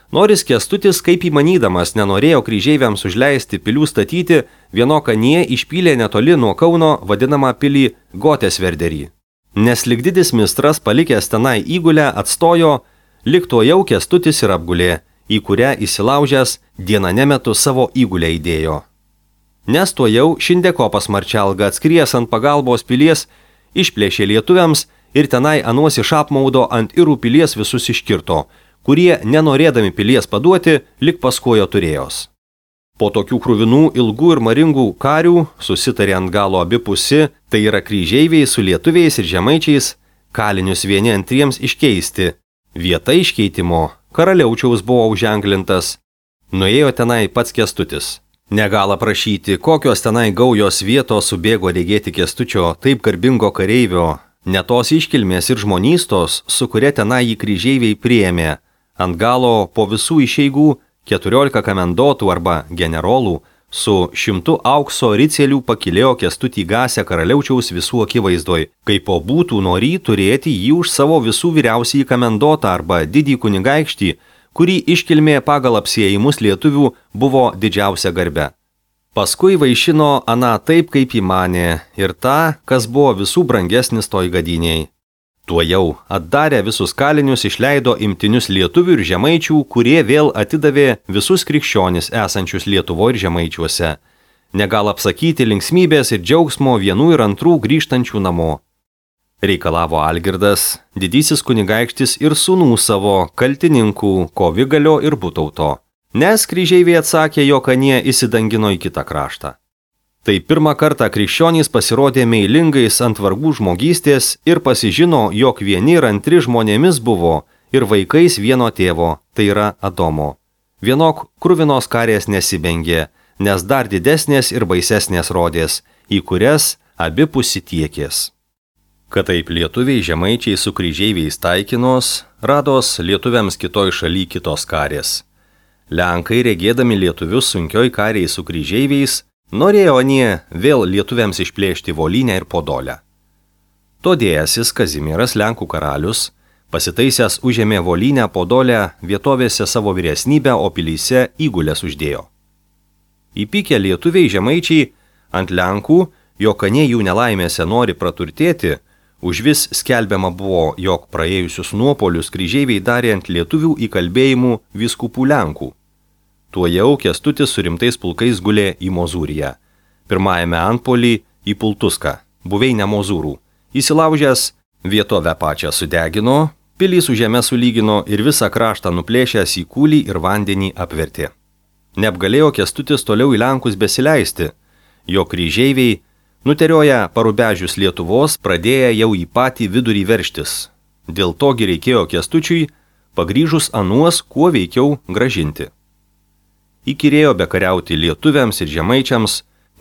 Noris Kęstutis, kaip įmanydamas, nenorėjo kryžeiviams užleisti pilių statyti, vienokanie išpylė netoli nuo Kauno vadinamą pilį Gotesverderį. Nes lyg didis mistras palikęs tenai įgulę atstojo, lyg tuojau Kęstutis ir apgulė, į kurią įsilaužęs dieną nemetu savo įgulę įdėjo. Nes tuojau Šindekopas marčialga atskries ant pagalbos pilies, išplėšė lietuviams ir tenai anuos iš apmaudo ant Irų pilies visus iškirto, kurie, nenorėdami pilies paduoti, lik paskojo turėjos. Po tokių kruvinų, ilgų ir maringų karių susitarė ant galo abipusi, tai yra kryžeiviai su lietuviais ir žemaičiais, kalinius vieni antriems iškeisti. Vieta iškeitimo karaliaučiaus buvo užženklintas. Nuėjo tenai pats Kęstutis. Negala prašyti, kokios tenai gaujos vietos subėgo regėti Kęstučio taip garbingo kareivio, ne tos iškilmės ir žmonystos, su kuria tenai jį kryžeiviai priėmė. Ant galo po visų išeigų 14 komendotų arba generolų su 100 aukso ricelių pakilėjo Kęstutį Gasę karaliaučiaus visų akivaizdoj, kaip po būtų norį turėti jį už savo visų vyriausiąjį komendotą arba didį kunigaikštį, kurį iškilmė pagal apsiejimus lietuvių buvo didžiausia garbe. Paskui vaišino aną taip, kaip įmanė, ir tą, kas buvo visų brangesnis toj gadiniai. Tuojau atdarę visus kalinius išleido imtinius lietuvių ir žemaičių, kurie vėl atidavė visus krikščionis esančius Lietuvo ir žemaičiuose. Negal apsakyti linksmybės ir džiaugsmo vienų ir antrų grįžtančių namo. Reikalavo Algirdas, didysis kunigaikštis ir sūnų savo kaltininkų Kovigalio ir Butauto, nes kryžeiviai atsakė, jog anie įsidangino į kitą kraštą. Tai pirmą kartą krikščionys pasirodė meilingais ant vargų žmogystės ir pasižino, jog vieni ir antri žmonėmis buvo ir vaikais vieno tėvo, tai yra Adomo. Vienok kruvinos karės nesibengė, nes dar didesnės ir baisesnės rodės, į kurias abipusi tiekės. Kad taip lietuviai žemaičiai su kryžeiviais taikinos, rados lietuviams kitoj šaly kitos karės. Lenkai, regėdami lietuvius sunkioj kariai su kryžeiviais, norėjo anie vėl lietuviams išplėšti Volynę ir Podolę. Todėjasis Kazimieras Lenkų karalius, pasitaisęs užėmė Volynę, Podolę, vietovėse savo vyresnybę, o pilyse įgulės uždėjo. Įpykę lietuviai žemaičiai ant Lenkų, jog anie jų nelaimėse nori praturtėti, užvis skelbiama buvo, jog praėjusius nuopolius kryžeiviai darė ant lietuvių įkalbėjimų vyskupų Lenkų. Tuojau Kęstutis su rimtais pulkais gulė į Mozūriją. Pirmajame antpolį į Pultuską, buveinę Mozūrų. Įsilaužęs vietovę pačią sudegino, pilį su žeme sulygino ir visą kraštą nuplėšęs į kūlį ir vandenį apvertė. Neapgalėjo Kęstutis toliau į Lenkus besileisti, jo kryžeiviai, nuterioję parubežius Lietuvos, pradėję jau į patį vidurį verštis. Dėl togi reikėjo Kęstučiui, pagrįžus anuos, kuo veikiau gražinti. Įkyrėjo bekariauti lietuviams ir žemaičiams,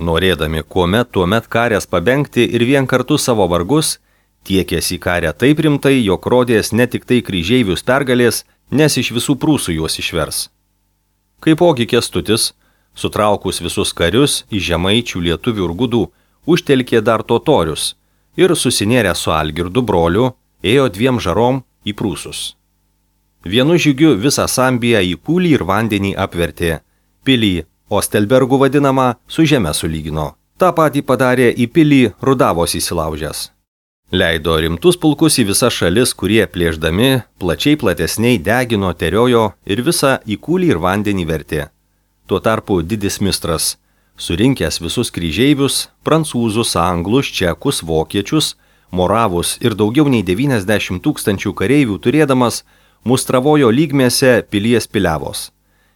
norėdami kuomet tuomet karės pabengti ir vien kartu savo vargus, tiekėsi į karę taip rimtai, jog rodės ne tik tai kryžeivius pergalės, nes iš visų Prūsų juos išvers. Kaipogi Kęstutis, sutraukus visus karius į žemaičių, lietuvių ir gudų, užtelkė dar totorius ir susinėrę su Algirdu broliu, ėjo 2 žarom į Prūsus. Vienu žygiu visą Sambiją į kūlį ir vandenį apvertė, pilį Ostelbergų vadinamą su žeme sulygino. Ta patį padarė į pilį Rudavos įsilaužęs. Leido rimtus pulkus į visas šalis, kurie plėšdami plačiai platesniai degino, teriojo ir visą į kūlį ir vandenį vertė. Tuo tarpu didis mistras, surinkęs visus kryžeivius, prancūzus, anglus, čekus, vokiečius, moravus ir daugiau nei 90 000 kareivių turėdamas, mustravojo lygmėse pilies piliavos.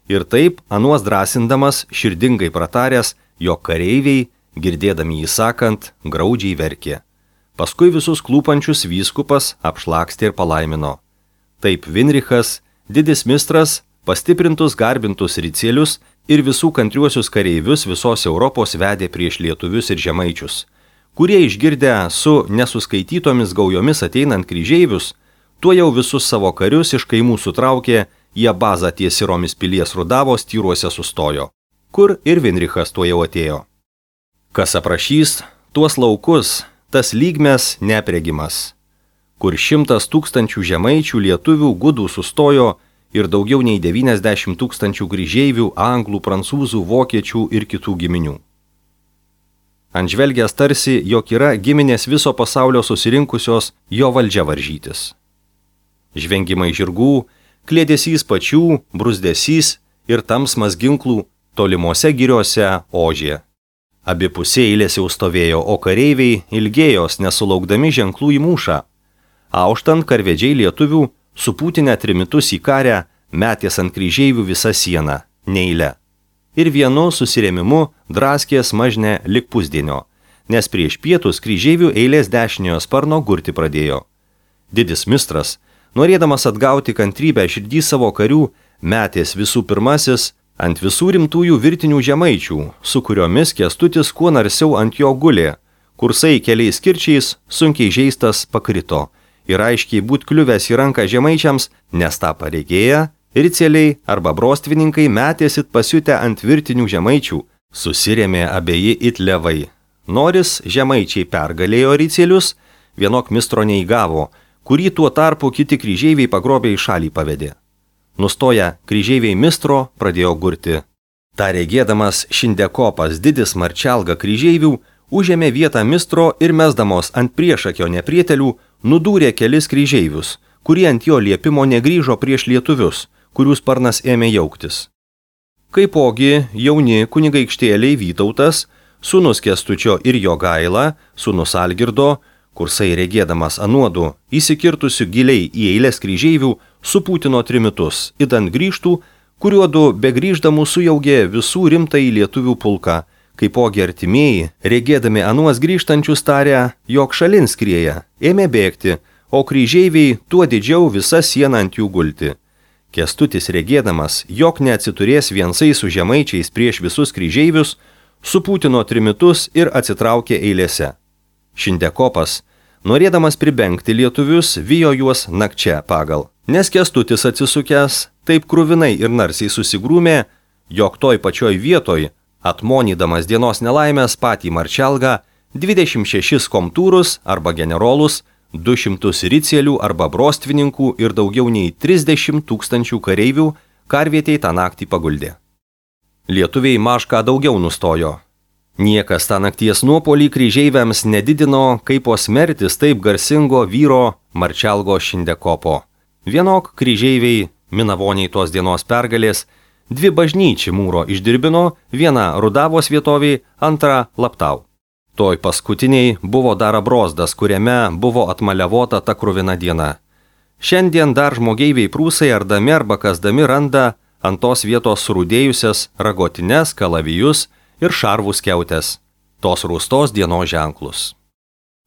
Ir taip, anuos drąsindamas, širdingai prataręs, jog kareiviai, girdėdami jį sakant, graudžiai verkė. Paskui visus klūpančius vyskupas apšlakstė ir palaimino. Taip Vinrichas, didis mistras, pastiprintus garbintus ricielius ir visų kantriuosius kareivius visos Europos vedė prieš lietuvius ir žemaičius, kurie išgirdę su nesuskaitytomis gaujomis ateinant kryžeivius, tuo jau visus savo karius iš kaimų sutraukė, jie bazą ties Siromis pilies Rudavos tyruose sustojo, kur ir Vinrichas tuo jau atėjo. Kas aprašys tuos laukus, tas lygmes neapregimas, kur 100 000 žemaičių lietuvių gudų sustojo ir daugiau nei 90 000 kryžeivių, anglų, prancūzų, vokiečių ir kitų giminių. Antžvelgęs tarsi, jog yra giminės viso pasaulio susirinkusios jo valdžia varžytis. Žvengimai žirgų, klėdesys pačių, brusdesys ir tamsmas ginklų tolimuose giriuose ožė. Abi pusė eilės jau stovėjo, o kareiviai ilgėjos nesulaukdami ženklų į mūšą. Auštant karvedžiai lietuvių, supūtinę trimitus į karę, metės ant kryžeivių visą sieną, neeilę. Ir vienu susirėmimu draskė smažnę lik pusdienio, nes prieš pietus kryžeivių eilės dešiniojo sparno gurti pradėjo. Didis mistras, norėdamas atgauti kantrybę širdį savo karių, metės visų pirmasis ant visų rimtųjų virtinių žemaičių, su kuriomis Kęstutis kuo narsiau ant jo gulė, kursai keliais kirčiais sunkiai žeistas pakrito ir aiškiai būt kliuvęs į ranką žemaičiams, nes tą pareigėję, riceliai arba brostvininkai metėsit pasiutę ant virtinių žemaičių, susirėmė abieji it levai. Noris žemaičiai pergalėjo ricelius, vienok mistro neįgavo, kurį tuo tarpu kiti kryžeiviai pagrobė į šalį pavedė. Nustoję kryžeiviai mistro pradėjo gurti. Ta regėdamas Šindekopas didis marčelga kryžeivių, užėmė vietą mistro ir mesdamos ant priešakio neprietelių, nudūrė kelis kryžeivius, kurie ant jo liepimo negrįžo prieš lietuvius, kurių sparnas ėmė jauktis. Kaipogi jauni kunigaikštėliai Vytautas, sūnus Kęstučio ir Jogaila, sūnus Algirdo, kursai regėdamas anuodu, įsikirtusių giliai į eilės kryžeivių, supūtino trimitus, idant grįžtų, kuriuodu begrįždamų sujaugė visų rimtai lietuvių pulką, kaipogi artimieji, regėdami anuos grįžtančius tarę, jog šalin skrieja, ėmė bėgti, o kryžeiviai tuo didžiau visą sieną ant jų gulti. Kęstutis regėdamas, jog neatsiturės viensai su žemaičiais prieš visus kryžeivius, supūtino trimitus ir atsitraukė eilėse. Šindekopas, norėdamas pribengti lietuvius, vijo juos nakčia pagal, nes Kęstutis atsisukęs taip kruvinai ir narsiai susigrūmė, jog toj pačioj vietoj, atmonydamas dienos nelaimės patį marčelgą, 26 komtūrus arba generolus, 200 ricielių arba brostvininkų ir daugiau nei 30 000 kareivių karvietei tą naktį paguldė. Lietuviai mažką daugiau nustojo. Niekas tą nakties nuopolį kryžeiviams nedidino, kaip po smertis taip garsingo vyro marčelgo Šindekopo. Vienok kryžeiviai, minavoniai tos dienos pergalės, 2 bažnyčių mūro išdirbino, viena Rudavos vietovėj, antra Laptau. Toj paskutiniai buvo dar abrozdas, kuriame buvo atmaliavota ta kruvina diena. Šiandien dar žmogeiviai prūsai ardami arba kasdami randa ant tos vietos surūdėjusias ragotines, kalavijus ir šarvus skiautės, tos rūstos dienos ženklus.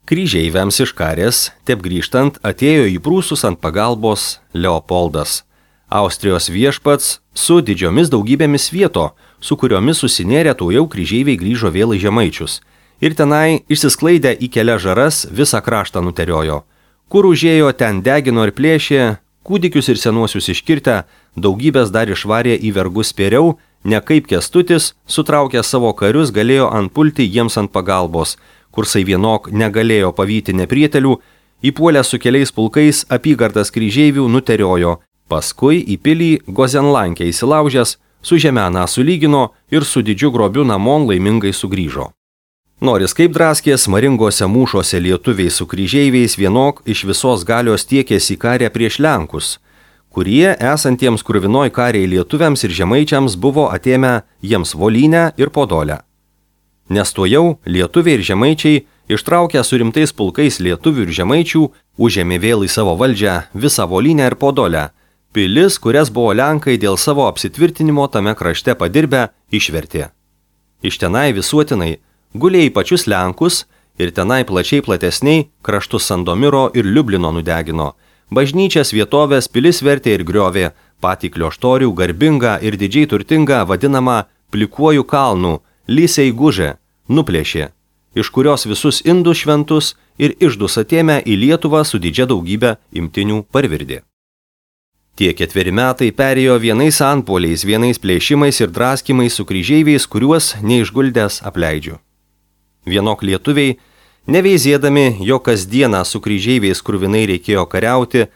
Kryžeiviams iš karės, taip grįžtant, atėjo į prūsus ant pagalbos Leopoldas, Austrijos viešpats su didžiomis daugybėmis vieto, su kuriomis susinėrė tuojau kryžeiviai grįžo vėl į žemaičius ir tenai išsisklaidę į kelias žaras visą kraštą nuteriojo. Kur užėjo, ten degino ir plėšė, kūdikius ir senuosius iškirtę, daugybės dar išvarė į vergus spėriau, ne kaip Kęstutis, sutraukę savo karius, galėjo antpulti jiems ant pagalbos, kursai vienok negalėjo pavyti neprietelių, įpuolę su keliais pulkais apygardas kryžeivių nuteriojo, paskui į pilį Gozenlankę įsilaužęs, su žemena sulygino ir su didžiu grobiu namon laimingai sugrįžo. Noris kaip draskės maringose mūšose lietuviai su kryžeiviais vienok iš visos galios tiekėsi į karę prieš Lenkus, kurie esantiems kruvinoj kariai lietuviams ir žemaičiams buvo atėmę jiems Volynę ir Podolę. Nes tuojau lietuviai ir žemaičiai, ištraukę su rimtais pulkais lietuvių ir žemaičių, užėmė vėl į savo valdžią visą Volynę ir Podolę, pilis, kurias buvo Lenkai dėl savo apsitvirtinimo tame krašte padirbę, išvertė. Iš tenai visuotinai gulė į pačius Lenkus ir tenai plačiai platesniai kraštus Sandomiro ir Liublino nudegino, bažnyčias vietovės pilis vertė ir griovė, patį Klioštorių garbingą ir didžiai turtingą vadinamą Plikuoju kalnu, Lysei Gužė, nuplėšė, iš kurios visus indus šventus ir išdus atėmę į Lietuvą su didžia daugybė imtinių parvirdė. Tie 4 metai perėjo vienais antpuoliais, vienais plėšimais ir draskimais su kryžeiviais, kuriuos neišguldęs apleidžiu. Vienok lietuviai, neveizėdami, jo kasdieną su kryžeiviais kruvinai reikėjo kariauti,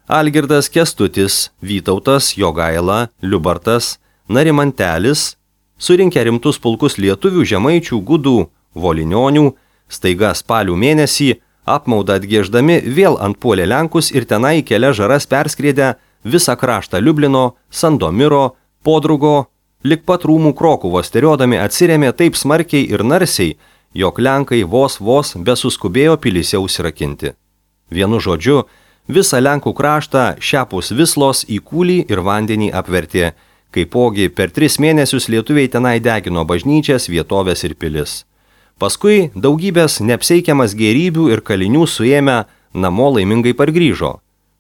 Algirdas Kęstutis, Vytautas, Jogaila, Liubartas, Narimantelis, surinkę rimtus pulkus lietuvių, žemaičių, gudų, volinionių, staiga spalių mėnesį, apmaudą atgieždami vėl antpuolė Lenkus ir tenai kelias žaras perskriedę visą kraštą Liublino, Sandomiro, Podrugo, lik pat rūmų Krokuvos teriodami atsirėmė taip smarkiai ir narsiai, jog Lenkai vos besuskubėjo pilyse užsirakinti. Vienu žodžiu, visą Lenkų kraštą šiapus Vislos į kūlį ir vandenį apvertė, kaipogi per 3 mėnesius lietuviai tenai degino bažnyčias, vietovės ir pilis. Paskui daugybės neapseikiamas gėrybių ir kalinių suėmę namo laimingai pargrįžo.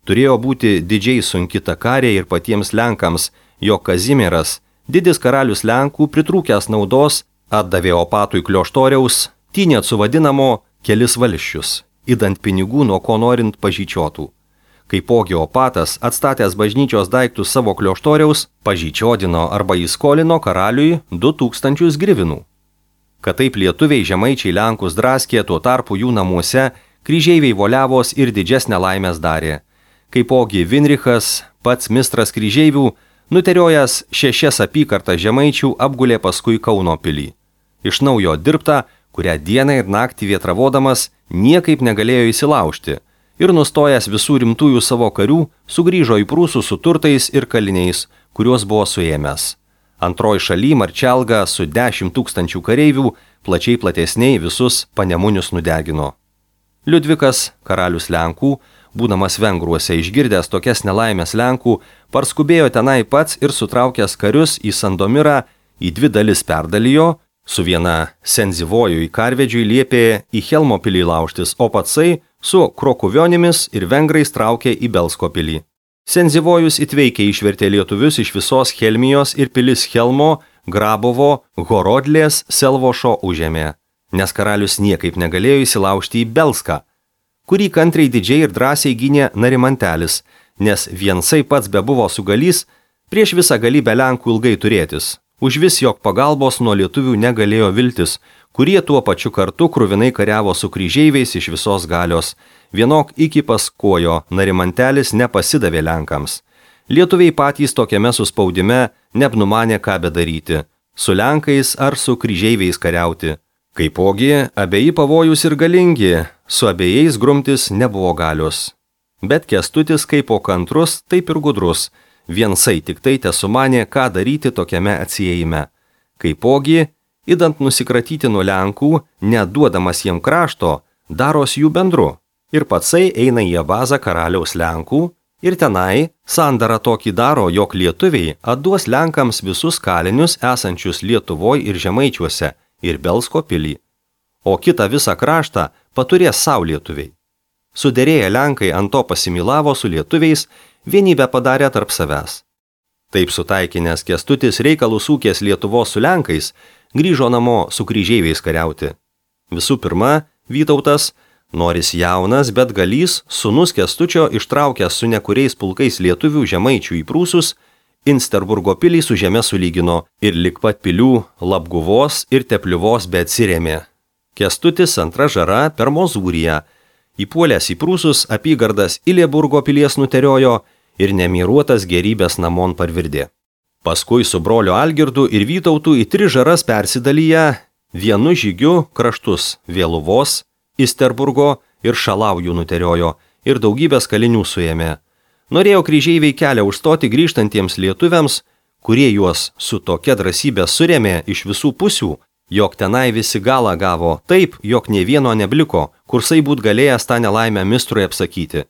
Turėjo būti didžiai sunki ta karė ir patiems Lenkams, jog Kazimieras, didis karalius Lenkų, pritrūkęs naudos, atdavė opatui Klioštoriaus, Tynėcų vadinamo kelis valsčius, įdant pinigų nuo ko norint pažyčiotų. Kaipogi opatas, atstatęs bažnyčios daiktus savo Klioštoriaus, pažyčiodino arba įskolino karaliui 2000 grivinų. Kad taip lietuviai, žemaičiai Lenkus draskė, tuo tarpu jų namuose kryžeiviai voliavos ir didžesnę laimės darė. Kaipogi Vinrichas, pats mistras kryžeivių, nuteriojęs 6 apykartas žemaičių, apgulė paskui Kauno pilį. Iš naujo dirbta, kurią dieną ir naktį vietravodamas niekaip negalėjo įsilaužti ir nustojęs visų rimtųjų savo karių, sugrįžo į Prūsų su turtais ir kaliniais, kuriuos buvo suėmęs. Antroji šaly Marčelga su 10 000 kareivių plačiai platesniai visus Panemunius nudegino. Liudvikas, karalius Lenkų, būdamas Vengruose išgirdęs tokias nelaimės Lenkų, parskubėjo tenai pats ir sutraukęs karius į Sandomirą į 2 dalis perdalijo, su viena Senzivoju į Karvedžiui liepė į Helmo pilį laužtis, o patsai su Krokuvionimis ir vengrais traukė į Belsko pilį. Senzivojus įtveikiai išvertė lietuvius iš visos Helmijos ir pilis Helmo, Grabovo, Horodlės, Selvošo užėmė, nes karalius niekaip negalėjo įsilaužti į Belską, kurį kantriai didžiai ir drąsiai gynė Narimantelis, nes viensai pats bebuvo sugalys prieš visą galybę Lenkų ilgai turėtis. Užvis jog pagalbos nuo lietuvių negalėjo viltis, kurie tuo pačiu kartu kruvinai kariavo su kryžeiviais iš visos galios. Vienok iki paskojo Narimantelis nepasidavė Lenkams. Lietuviai patys tokiame suspaudime neapnumanė ką bedaryti, su Lenkais ar su kryžeiviais kariauti. Kaipogi, abeji pavojus ir galingi, su abiejais grumtis nebuvo galios. Bet Kęstutis kaipo kantrus, taip ir gudrus, viensai tik tai tesumanė, ką daryti tokiame atsiejime. Kaipogi, idant nusikratyti nuo Lenkų, neduodamas jiem krašto, daros jų bendru. Ir patsai eina į bazą karaliaus Lenkų ir tenai sandarą tokį daro, jog lietuviai atduos Lenkams visus kalinius esančius Lietuvoj ir Žemaičiuose ir Belsko pilį, o kitą visą kraštą paturės savo lietuviai. Suderėję Lenkai ant to pasimilavo su lietuviais, vienybę padarė tarp savęs. Taip sutaikinęs Kęstutis reikalus ūkės Lietuvos su Lenkais, grįžo namo su kryžeiviais kariauti. Visų pirma, Vytautas, noris jaunas, bet galys, sūnus Kęstučio ištraukęs su nekuriais pulkais lietuvių žemaičių į Prūsus, Insterburgo pilį su žeme sulygino ir lik pat pilių Labguvos ir Tepliuvos beatsirėmė. Kęstutis antra žara per Mozūriją, įpuolęs į Prūsus apygardas Ilieburgo pilies nuteriojo ir nemiruotas gerybės namon parvirdė. Paskui su broliu Algirdu ir Vytautu į 3 žaras persidalyję, vienu žygiu kraštus Vėluvos, Isterburgo ir Šalaujų nuteriojo ir daugybės kalinių suėmė. Norėjo kryžeiviai kelią užstoti grįžtantiems lietuviams, kurie juos su tokia drąsybė surėmė iš visų pusių, jog tenai visi galą gavo taip, jog nė vieno nebliko, kursai būt galėjęs tą nelaimę mistrui apsakyti.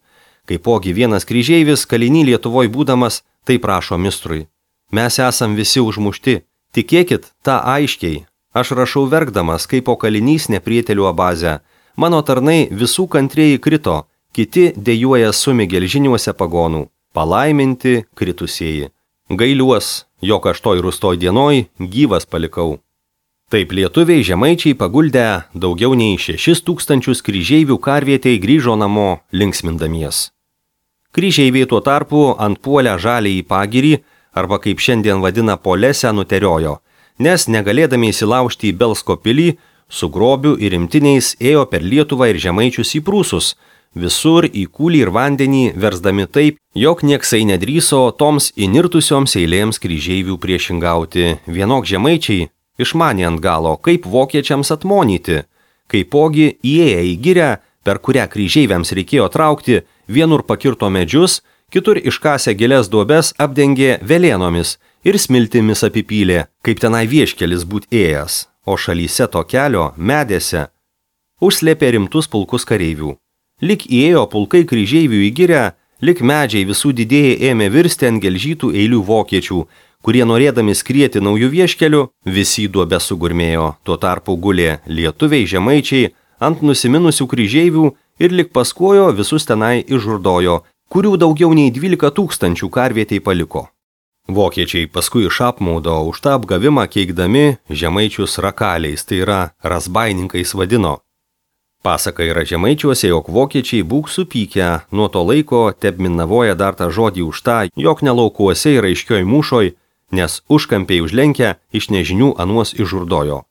Kaipogi vienas kryžeivis kalinį Lietuvoj būdamas, taip prašo mistrui. Mes esam visi užmušti, tikėkit tą aiškiai. Aš rašau verkdamas, kaip po kalinys neprietelių abazę. Mano tarnai visų kantrieji krito, kiti dejuoja sumi gelžiniuose pagonų. Palaiminti kritusieji. Gailiuos, jog aš toj rūstoj dienoj gyvas palikau. Taip lietuviai žemaičiai paguldę daugiau nei 6000 kryžeivių karvietei grįžo namo linksmindamies. Kryžeiviai tuo tarpu ant puolę žaliąjį pagirį, arba kaip šiandien vadina Polesę, nuteriojo, nes negalėdami įsilaužti į Belsko pilį, su grobiu ir imtiniais ėjo per Lietuvą ir žemaičius į Prūsus, visur į kūlį ir vandenį versdami taip, jog nieksai nedryso toms įnirtusioms eilėms kryžeivių priešingauti. Vienok žemaičiai išmanė ant galo, kaip vokiečiams atmonyti, kaipogi įėję į girią, per kurią kryžeiviams reikėjo traukti, vienur pakirto medžius, kitur iškasę gilias duobes apdengė velėnomis ir smiltimis apipylė, kaip tenai vieškelis būt ėjęs, o šalyse to kelio, medėse, užslėpė rimtus pulkus kareivių. Lik įėjo pulkai kryžeivių į girią, lik medžiai visų didėjai ėmė virsti ant gelžytų eilių vokiečių, kurie norėdami skrieti naujų vieškelių, visi duobę sugurmėjo. Tuo tarpu gulė lietuviai žemaičiai ant nusiminusių kryžeivių ir lik paskuojo visus tenai išžurdojo, kurių daugiau nei 12 000 karvietei paliko. Vokiečiai paskui iš apmaudo už tą apgavimą keikdami žemaičius rakaliais, tai yra razbaininkais vadino. Pasaka yra žemaičiuose, jog vokiečiai būk supykę, nuo to laiko tebminavoja dar tą žodį už tą, jog nelaukuose ir aiškioj mūšoj, nes užkampiai užlenkę iš nežinių anuos išžurdojo.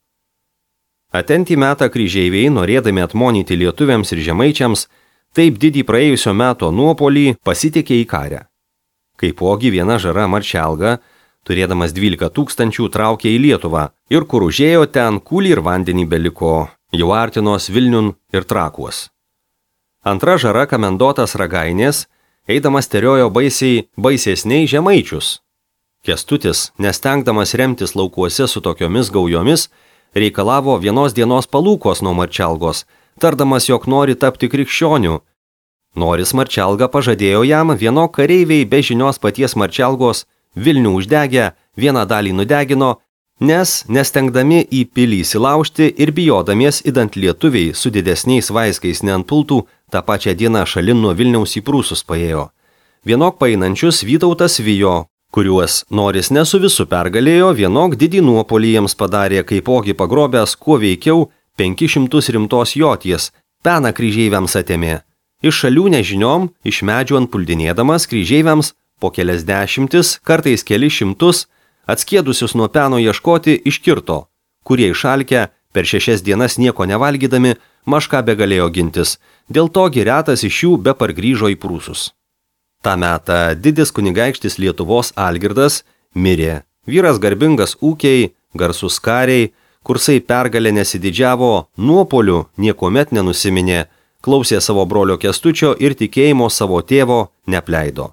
Atentį metą kryžeiviai, norėdami atmonyti lietuviams ir žemaičiams, taip didį praėjusio meto nuopolį pasitikė į karę. Kaipogi viena žara Marčelga, turėdamas 12 000, traukė į Lietuvą ir kur užėjo ten kūlį ir vandenį beliko, jau artinos Vilniun ir Trakuos. Antra žara Kamendotas Ragainės, eidamas teriojo baisesniai žemaičius. Kęstutis, nestengdamas remtis laukuose su tokiomis gaujomis, reikalavo vienos dienos palūkos nuo Marčelgos, tardamas, jog nori tapti krikščioniu. Noris Marčelga pažadėjo jam, vieno kareiviai be žinios paties Marčelgos Vilnių uždegę, vieną dalį nudegino, nes nestengdami į pilį įsilaužti ir bijodamies idant lietuviai su didesniais vaiskais neantpultų, tą pačią dieną šalin nuo Vilniaus į Prūsus paėjo. Vienok paeinančius Vytautas vijo, kuriuos Noris ne su visu pergalėjo, vienok didį nuopolį jiems padarė, kaipogi pagrobęs kuo veikiau 500 rimtos joties, peną kryžeiviams atėmė. Iš šalių nežiniom, iš medžių antpuldinėdamas kryžeiviams po kelias dešimtis, kartais keli šimtus, atskėdusius nuo peno ieškoti iškirto, kurie išalkę per 6 dienas nieko nevalgydami, mažką begalėjo gintis, dėl to retas iš jų be pargrįžo į Prūsus. Ta metą didis kunigaikštis Lietuvos Algirdas mirė. Vyras garbingas ūkiai, garsus kariai, kursai pergalė nesididžiavo, nuopolių niekuomet nenusiminė, klausė savo brolio Kęstučio ir tikėjimo savo tėvo nepleido.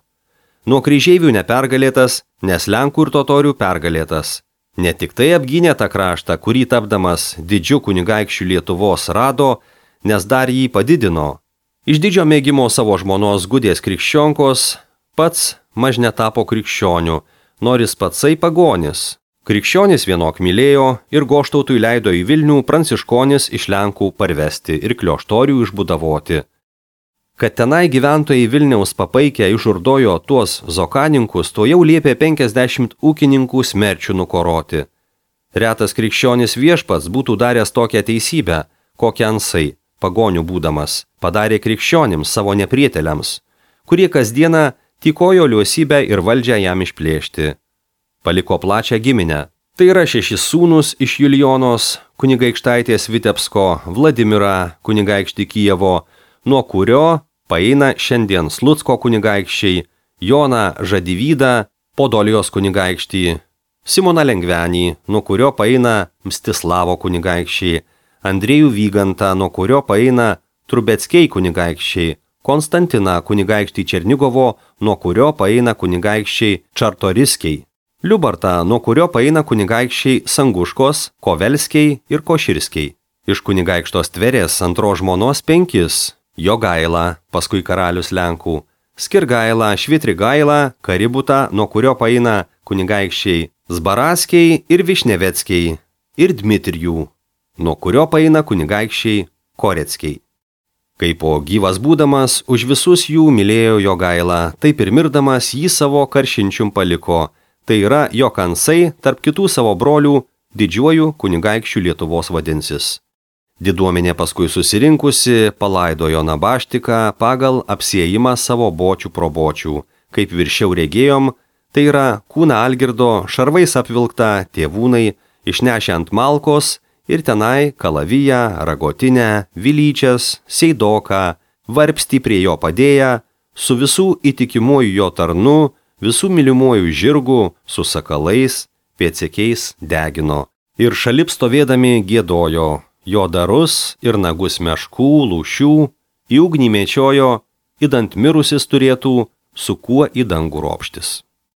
Nuo kryžeivių nepergalėtas, nes Lenkų ir totorių pergalėtas. Ne tik tai apgynė tą kraštą, kurį tapdamas didžiu kunigaikščiu Lietuvos rado, nes dar jį padidino. Iš didžio mėgimo savo žmonos Gudės krikščionkos pats maž netapo krikščioniu, Noris patsai pagonis. Krikščionis vienok mylėjo ir Goštautui leido į Vilnių pranciškonis iš Lenkų parvesti ir klioštorių išbudavoti. Kad tenai gyventojai Vilniaus papaikę išžurdojo tuos zokaninkus, to jau liepė 50 ūkininkų smerčių nukoroti. Retas krikščionis viešpats būtų daręs tokią teisybę, kokią ansai, pagonių būdamas, padarė krikščionims savo neprieteliams, kurie kasdieną tykojo liuosybę ir valdžią jam išplėšti. Paliko plačią giminę. Tai yra 6 sūnus iš Julijonos, kunigaikštaitės Vitebsko, Vladimirą, kunigaikštį Kijevo, nuo kurio paeina šiandien Slucko kunigaikščiai, Joną Žadivydą, Podolijos kunigaikštį, Simoną Lengvenį, nuo kurio paeina Mstislavo kunigaikščiai, Andrėjų Vygantą, nuo kurio paeina Trubeckiai kunigaikščiai, Konstantiną kunigaikštį Černigovo, nuo kurio paeina kunigaikščiai Čartoriskiai, Liubartą, nuo kurio paeina kunigaikščiai Sanguškos, Kovelskiai ir Koširskiai. Iš kunigaikštos Tverės antros žmonos 5 – Jogaila, paskui karalius Lenkų, Skirgaila, Švitrigaila, Kaributą, nuo kurio paeina kunigaikščiai Zbaraskiai ir Višneveckiai, ir Dmitrijų, nuo kurio paeina kunigaikščiai Koreckiai. Kaip po gyvas būdamas, už visus jų mylėjo Jogaila, taip ir mirdamas jį savo karšinčium paliko, tai yra jo kansai tarp kitų savo brolių didžiuoju kunigaikščių Lietuvos vadinsis. Diduomenė paskui susirinkusi palaidojo Nabaštiką pagal apsiėjimą savo bočių pro bočių, kaip viršiau regėjom, tai yra kūną Algirdo šarvais apvilktą tėvūnai išnešę ant malkos ir tenai kalaviją, ragotinę, vilyčias, seidoką, varpstį prie jo padėję, su visų įtikimuoju jo tarnu, visų mylimuoju žirgu, su sakalais, pėdsekiais degino. Ir šalip stovėdami giedojo, jo darus ir nagus meškų, lūšių, į ugnį mečiojo, idant mirusis turėtų, su kuo į dangų ropštis.